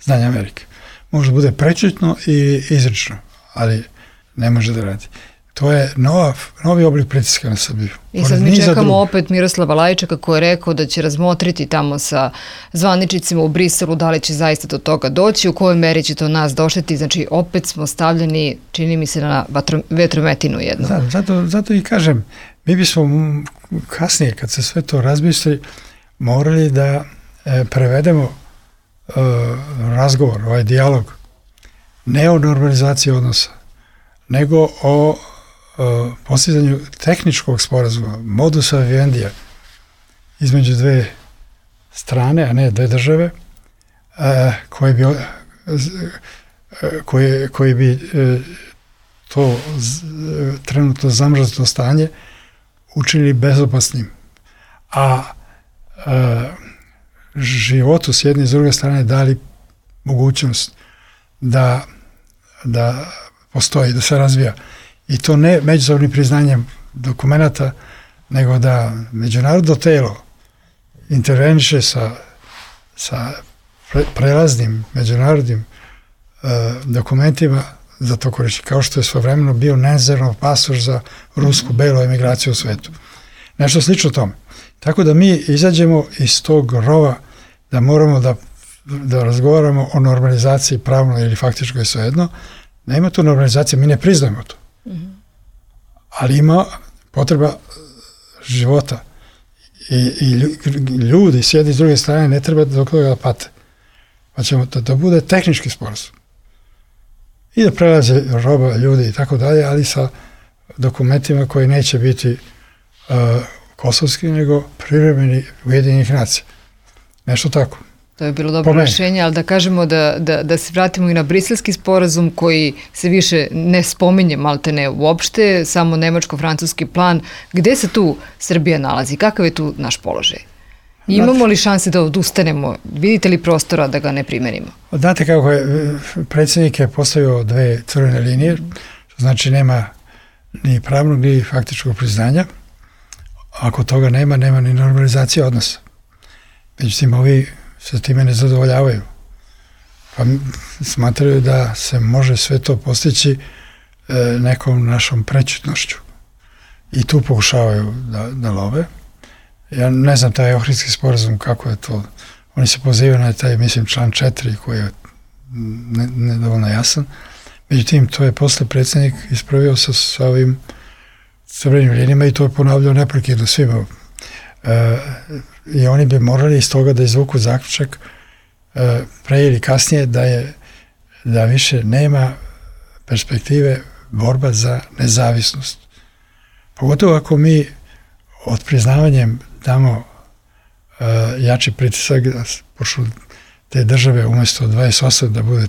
znanja Amerike. Može da bude prečutno i izrično, ali ne može da radi. To je novi oblik pritiska na Srbiju. I sad mi čekamo opet Miroslava Lajičaka koji je rekao da će razmotriti tamo sa zvaničnicima u Briselu da li će zaista do toga doći, u kojoj meri će to nas došteti. Znači opet smo stavljeni, čini mi se, na vetrometinu jednu. Zato i kažem, mi bismo kasnije, kad se sve to razmisli, morali da prevedemo razgovor, ovaj dijalog, ne o normalizaciji odnosa, nego o postizanju tehničkog sporazuma, modusa vivendija između dve strane, a ne dve države, koji bi to trenutno zamrznuto stanje učinili bezopasnim. A životu s jedne i s druge strane dali mogućnost da postoji, da se razvija. I to ne međusobnim priznanjem dokumenata, nego da međunarodno telo interveniše sa prelaznim međunarodnim dokumentima za to koristi, kao što je svojevremeno bio Nezerov pasoš za rusku belu emigraciju u svetu. Nešto slično tome. Tako da mi izađemo iz tog rova da moramo da razgovaramo o normalizaciji pravno ili faktičko je svejedno. Nema tu normalizacije, mi ne priznajemo to. Ali ima potreba života i ljudi sjedi s druge strane, ne treba dok toga da pate. Pa ćemo da bude tehnički sporazum. I da prelaze roba, ljudi i tako dalje, ali sa dokumentima koji neće biti kosovski, nego privremeni Ujedinjenih nacija. Nešto tako. To je bilo dobro rješenje, ali da kažemo da se vratimo i na briselski sporazum koji se više ne spominje maltene uopšte, samo nemačko-francuski plan. Gde se tu Srbija nalazi? Kakav je tu naš položaj? Imamo li šanse da odustanemo? Vidite li prostora da ga ne primenimo? Znate kako je, predsjednik je postavio 2 crvene linije, što znači nema ni pravnog ni faktičkog priznanja. Ako toga nema ni normalizacije odnosa. Međutim, ovi se time ne zadovoljavaju. Pa smatraju da se može sve to postići nekom našom prećutnošću. I tu pokušavaju da love. Ja ne znam taj Ohridski sporazum kako je to. Oni se pozivaju na taj, mislim, član 4 koji je nedovoljno jasan. Međutim, to je posle predsjednik ispravio sa ovim crvenim linijama i to je ponavljao neprekidno svima. I oni bi morali iz toga da izvuku zaključak pre ili kasnije da više nema perspektive borba za nezavisnost. Pogotovo ako mi od priznavanjem damo jači pritisak da počnu te države umjesto 28 da bude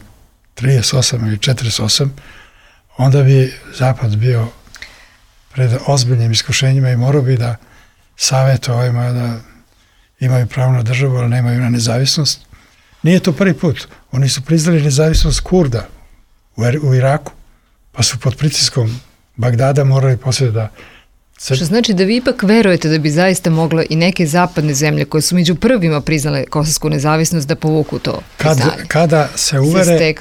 38 ili 48, onda bi Zapad bio pred ozbiljnim iskušenjima i morao bi da savjeti ovima da imaju pravo na državu, ali nemaju na nezavisnost. Nije to prvi put. Oni su priznali nezavisnost Kurda u Iraku, pa su pod pritiskom Bagdada morali poslije da... Što znači da vi ipak verujete da bi zaista mogla i neke zapadne zemlje koje su među prvima priznale kosovsku nezavisnost da povuku to priznanje? Kada se uvere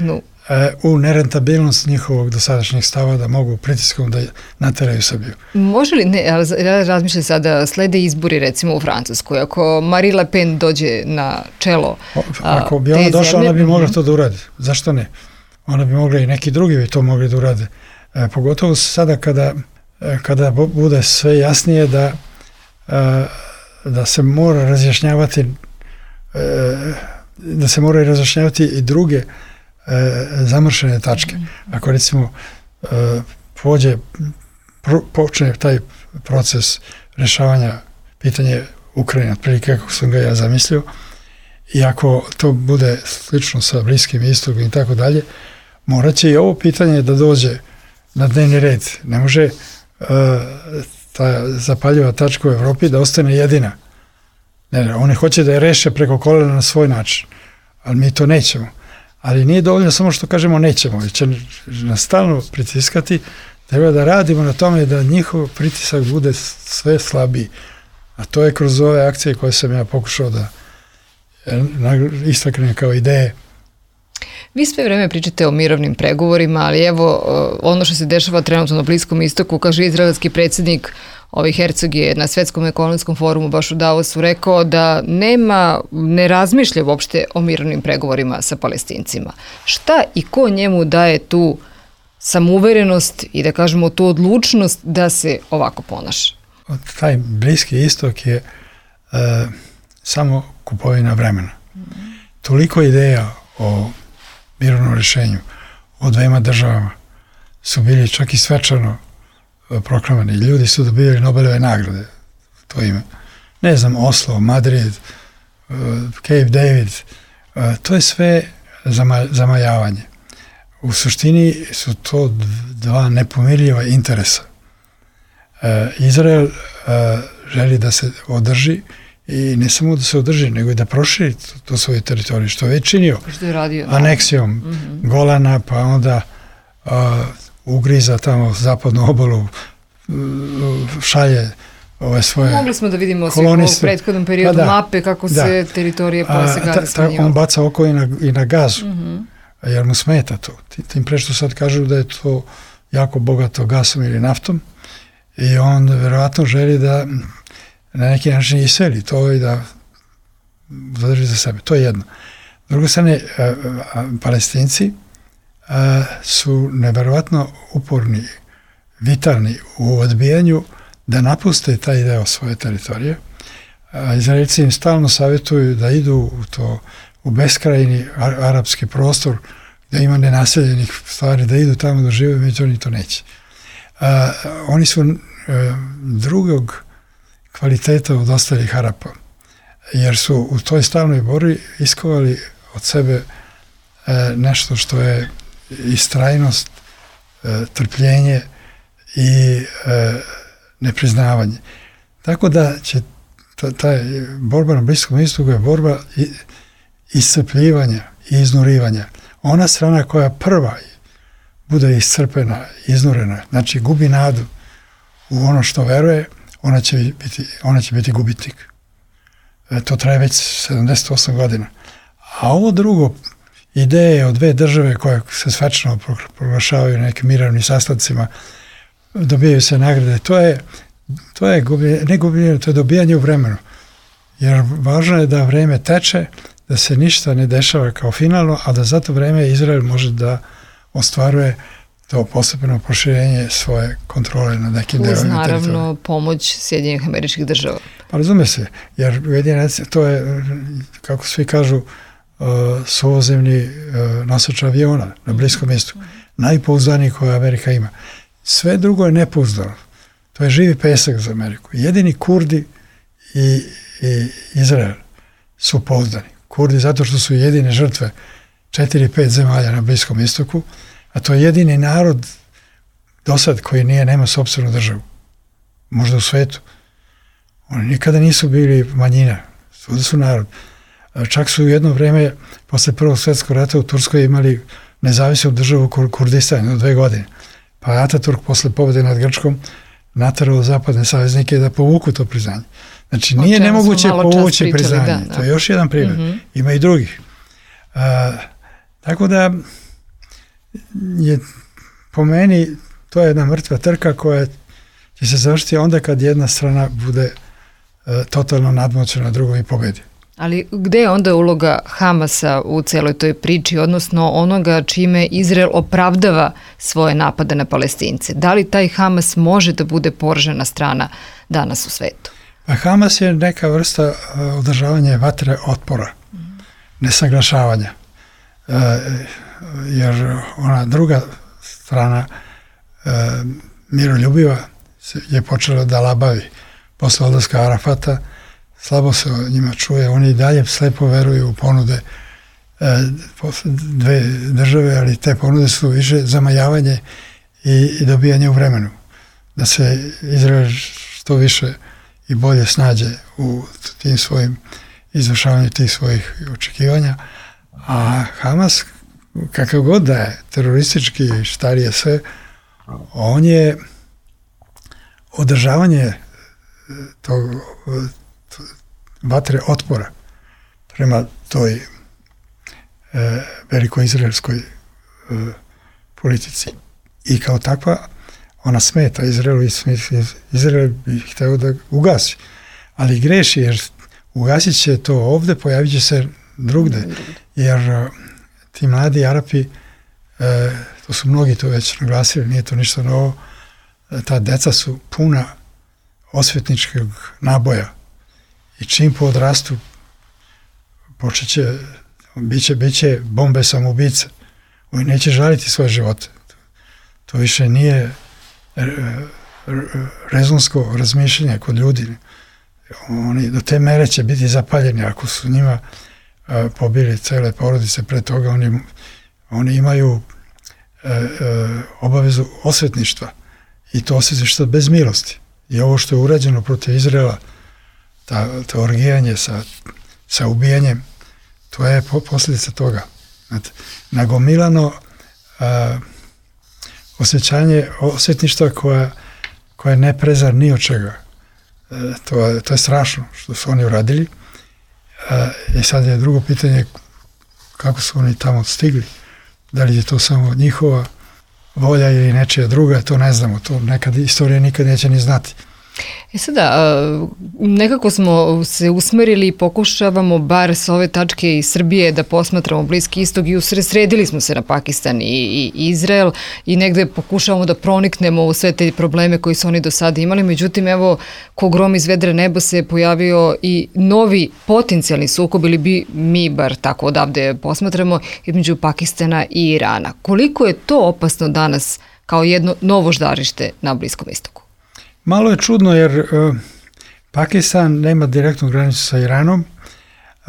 u nerentabilnost njihovog dosadašnjeg stava da mogu pritiskom da nateraju Srbiju. Može li, ne, ja razmišljam sada, slede izbori recimo u Francuskoj, ako Marine Le Pen dođe na čelo ako bi ona došla, ona bi mogla to da uradi. Zašto ne? Ona bi mogla i neki drugi bi to mogli da urade. Pogotovo sada kada bude sve jasnije da se mora razjašnjavati i druge zamršene tačke. Ako recimo počne taj proces rješavanja pitanja Ukrajine, otprilike kako sam ga ja zamislio, i ako to bude slično sa Bliskim istokom i tako dalje, morat će i ovo pitanje da dođe na dnevni red. Ne može ta zapaljiva tačka u Evropi da ostane jedina. Ne, oni hoće da je reše preko kolena na svoj način, ali mi to nećemo. Ali nije dovoljno samo što kažemo nećemo, već će nas stalno pritiskati, treba da radimo na tome da njihov pritisak bude sve slabiji. A to je kroz ove akcije koje sam ja pokušao da istaknem kao ideje. Vi sve vreme pričate o mirovnim pregovorima, ali evo ono što se dešava trenutno na Bliskom istoku, kaže izraelski predsjednik Herzog je na Svetskom ekonomskom forumu baš u Davosu rekao da ne razmišlja uopšte o mirovnim pregovorima sa Palestincima. Šta i ko njemu daje tu samouverenost i da kažemo tu odlučnost da se ovako ponaša? Taj Bliski istok je samo kupovina vremena. Toliko ideja o mirovnom rješenju, o dvema državama su bili čak i svečano proklamani. Ljudi su dobili Nobelove nagrade, to ime. Ne znam, Oslo, Madrid, Cape David, to je sve zamajavanje. U suštini su to dva nepomirljiva interesa. Izrael želi da se održi i ne samo da se održi, nego i da proširi to svoje teritorije, što je već činio. Što je radio, aneksijom Golana, pa onda ugriza tamo zapadnu obalu, šalje ove svoje Mogli smo da vidimo u prethodnom periodu mape kako se teritorije posle Gaze smanjivao. On baca oko i na Gazu, jer mu smeta to. Tim pre što sad kažu da je to jako bogato gasom ili naftom i on verovatno želi da na neki način iseli to i da zadrži za sebe. To je jedno. S druge strane, Palestinci su neverovatno uporni, vitalni u odbijanju da napuste taj deo svoje teritorije. Izraelci im stalno savjetuju da idu u beskrajni arapski prostor gde ima nenaseljenih stvari, da idu tamo da žive, među oni to neće. Oni su drugog kvaliteta od ostalih Arapa, jer su u toj stalnoj borbi iskovali od sebe nešto što je istrajnost, trpljenje i nepriznavanje. Tako da će ta borba na Bliskom istoku je borba iscrpljivanja i iznurivanja. Ona strana koja prva bude iscrpena, iznurena, znači gubi nadu u ono što veruje, ona će biti gubitnik. To traje već 78 godina. A ovo drugo, ideje o dve države koje se svečno proglašavaju na nekim mirovnim sastancima, dobijaju se nagrade, to je ne gubljenje, to je dobijanje u vremenu. Jer važno je da vreme teče, da se ništa ne dešava kao finalno, a da za to vreme Izrael može da ostvaruje to postepeno proširenje svoje kontrole na nekim delovima teritorija. Uz naravno pomoć Sjedinjenih Američkih Država. Pa razume se, jer to je, kako svi kažu, suvozemni nosač aviona na Bliskom istoku. Najpouzdaniji koje Amerika ima. Sve drugo je nepouzdano. To je živi pesak za Ameriku. Jedini Kurdi i Izrael su pouzdani. Kurdi zato što su jedine žrtve 4-5 zemalja na Bliskom istoku, a to je jedini narod do sad koji nema sopstvenu državu. Možda u svetu. Oni nikada nisu bili manjina. Svuda su narod. Čak su u jedno vreme, posle Prvog svjetskog rata u Turskoj imali nezavisnu državu Kurdistan od 2 godine. Pa Ataturk posle pobjede nad Grčkom naterao zapadne saveznike da povuku to priznanje. Znači, nije nemoguće povući priznanje. To je još jedan primjer. Ima i drugih. Tako da je po meni to je jedna mrtva trka koja će se završiti onda kad jedna strana bude totalno nadmoćna drugom i pobedi. Ali gde je onda uloga Hamasa u celoj toj priči, odnosno onoga čime Izrael opravdava svoje napade na Palestince? Da li taj Hamas može da bude poražena strana danas u svetu? Pa Hamas je neka vrsta održavanja vatre otpora, nesaglašavanja. Jer ona druga strana miroljubiva je počela da labavi posle odlaska Arafata. Slabo se o njima čuje, oni i dalje slepo veruju u ponude dve države, ali te ponude su više zamajavanje i dobijanje u vremenu. Da se Izrael što više i bolje snađe u tim svojim izvršavanju tih svojih očekivanja, a Hamas, kakav god da je, teroristički, štarije sve, on je održavanje tog vatre otpora prema toj velikoizraelskoj politici. I kao takva ona smeta Izraelu i Izrael bi hteo da ugasi. Ali greši jer ugasit će to ovde, pojavit će se drugde. Jer ti mladi Arapi, to su mnogi to već naglasili, nije to ništa novo, ta deca su puna osvetničkog naboja. I čim odrastu, biće bombe samoubice. Oni neće žaliti svoje živote. To više nije rezonsko razmišljanje kod ljudi. Oni do te mere će biti zapaljeni. Ako su njima pobili cele porodice pre toga, oni imaju obavezu osvetništva. I to osvetništva bez milosti. I ovo što je urađeno protiv Izraela, to orgijanje sa ubijanjem, to je posljedica toga. Znate, nagomilano osjećanje osvetništva koja ne prezar ni od čega. To je strašno što su oni uradili. I sad je drugo pitanje kako su oni tamo stigli. Da li je to samo njihova volja ili nečija druga, to ne znamo. To nekad istorija nikad neće ni znati. Sada, nekako smo se usmerili i pokušavamo bar s ove tačke iz Srbije da posmatramo Bliski istok i usredsredili smo se na Pakistan i Izrael i negde pokušavamo da proniknemo u sve te probleme koji su oni do sada imali. Međutim, evo, ko grom iz vedra nebo se pojavio i novi potencijalni sukob, ili bi mi bar tako odavde posmatramo, između Pakistana i Irana. Koliko je to opasno danas kao jedno novo žarište na Bliskom istoku? Malo je čudno jer Pakistan nema direktnu granicu sa Iranom.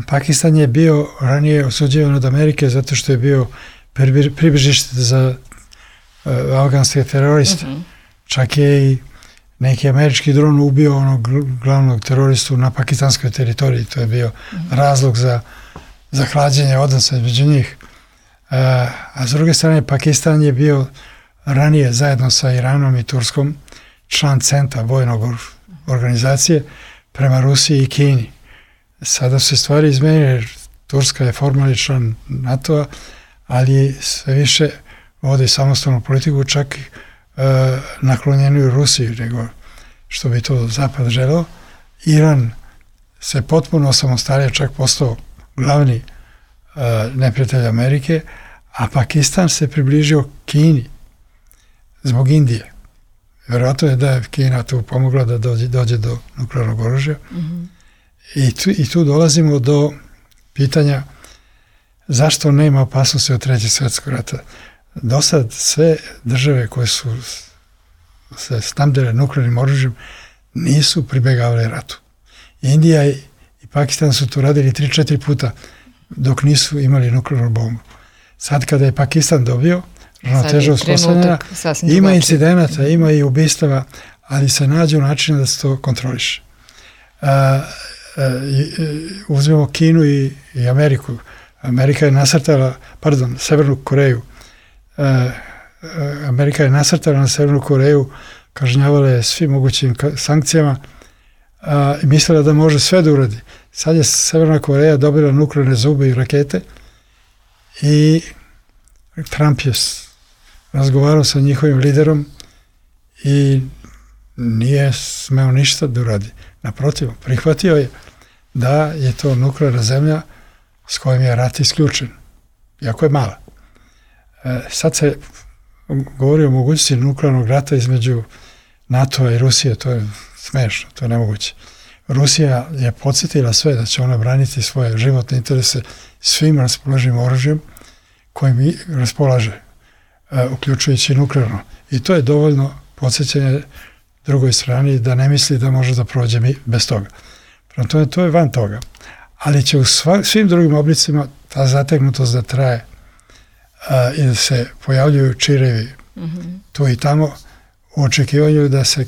Pakistan je bio ranije osuđivan od Amerike zato što je bio pribežište za afganske teroriste. Čak je i neki američki dron ubio onog glavnog teroristu na pakistanskoj teritoriji. To je bio razlog za hlađenje odnosa između njih. A s druge strane, Pakistan je bio ranije zajedno sa Iranom i Turskom član CENTA, vojnog organizacije, prema Rusiji i Kini. Sada se stvari izmenile, jer Turska je formalni član NATO-a, ali sve više vodi samostalnu politiku, čak naklonjeniju Rusiji, nego što bi to Zapad želeo. Iran se potpuno samostalio, čak postao glavni neprijatelj Amerike, a Pakistan se približio Kini zbog Indije. Vjerojatno je da je Kina tu pomogla da dođe do nuklearnog oružja. I tu dolazimo do pitanja zašto nema opasnosti od Trećeg svjetskog rata. Dosad sve države koje su se snabdele nuklearnim oružjem nisu pribegavale ratu. Indija i Pakistan su to radili 3-4 puta dok nisu imali nuklearnu bombu. Sad kada je Pakistan dobio ravnoteža uspostavljena, ima incidenata, ima i ubistava, ali se nađe način da se to kontroliše. Uzmemo Kinu i Ameriku. Amerika je nasrtala, Severnu Koreju. Amerika je nasrtala na Severnu Koreju, kažnjavala je svim mogućim sankcijama i mislila da može sve da uradi. Sad je Severna Koreja dobila nuklearne zube i rakete i Trump je razgovarao sa njihovim liderom i nije smeo ništa da uradi. Naprotiv, prihvatio je da je to nuklearna zemlja s kojom je rat isključen, iako je mala. Sad se govori o mogućnosti nuklearnog rata između NATO-a i Rusije, to je smešno, to je nemoguće. Rusija je podsjetila sve da će ona braniti svoje životne interese svim raspoloživim oružjem kojim raspolaže, uključujući nuklearno. I to je dovoljno podsjećanje drugoj strani da ne misli da može da prođe bez toga. Prema tome, to je van toga. Ali će u svim drugim oblicima ta zategnutost da traje i da se pojavljuju čirevi tu i tamo u očekivanju da se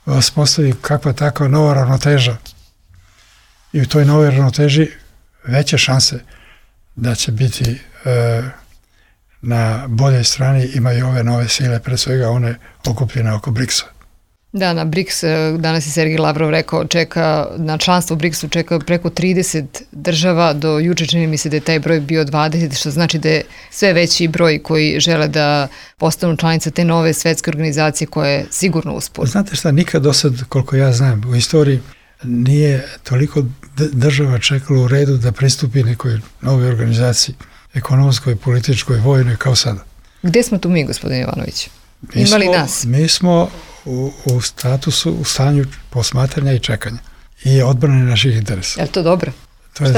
uspostavi kakva takva nova ravnoteža. I u toj novoj ravnoteži veće šanse da će biti na boljoj strani imaju ove nove sile, pre svega one okupljene oko BRICS-a. Da, na BRICS, danas je Sergej Lavrov rekao, na članstvo u BRICS-u čeka preko 30 država, do juče čini mi se da je taj broj bio 20, što znači da je sve veći broj koji žele da postanu članice te nove svetske organizacije koja je sigurno uspor. Znate šta, nikad do sad, koliko ja znam, u istoriji nije toliko država čekalo u redu da pristupi nekoj novoj organizaciji, ekonomskoj, političkoj, vojnoj, kao sada. Gde smo tu mi, gospodin Jovanović? Ima li nas? Mi smo u statusu, u stanju posmatranja i čekanja i odbrane naših interesa. Je li to dobro? To je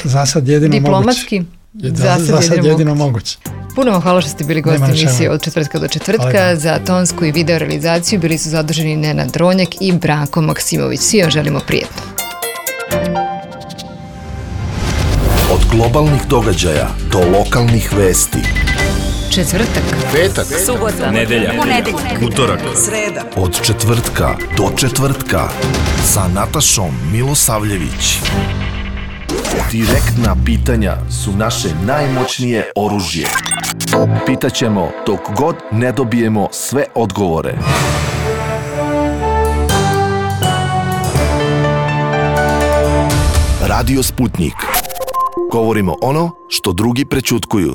za sad jedino diplomatski? Diplomatski? Za sad jedino moguće. Puno vam hvala što ste bili gosti emisije od četvrtka do četvrtka. Za tonsku i video realizaciju bili su zaduženi Nenad Dronjak i Branko Maksimović. Svi vam želimo prijetno. Od globalnih događaja do lokalnih vesti. Četvrtak, petak, subota, nedelja, ponedeljak, utorak, sreda. Od četvrtka do četvrtka sa Natašom Milosavljević. Direktna pitanja su naše najmoćnije oružje. Pitaćemo dok god ne dobijemo sve odgovore. Radio Sputnik. Govorimo ono što drugi prećutkuju.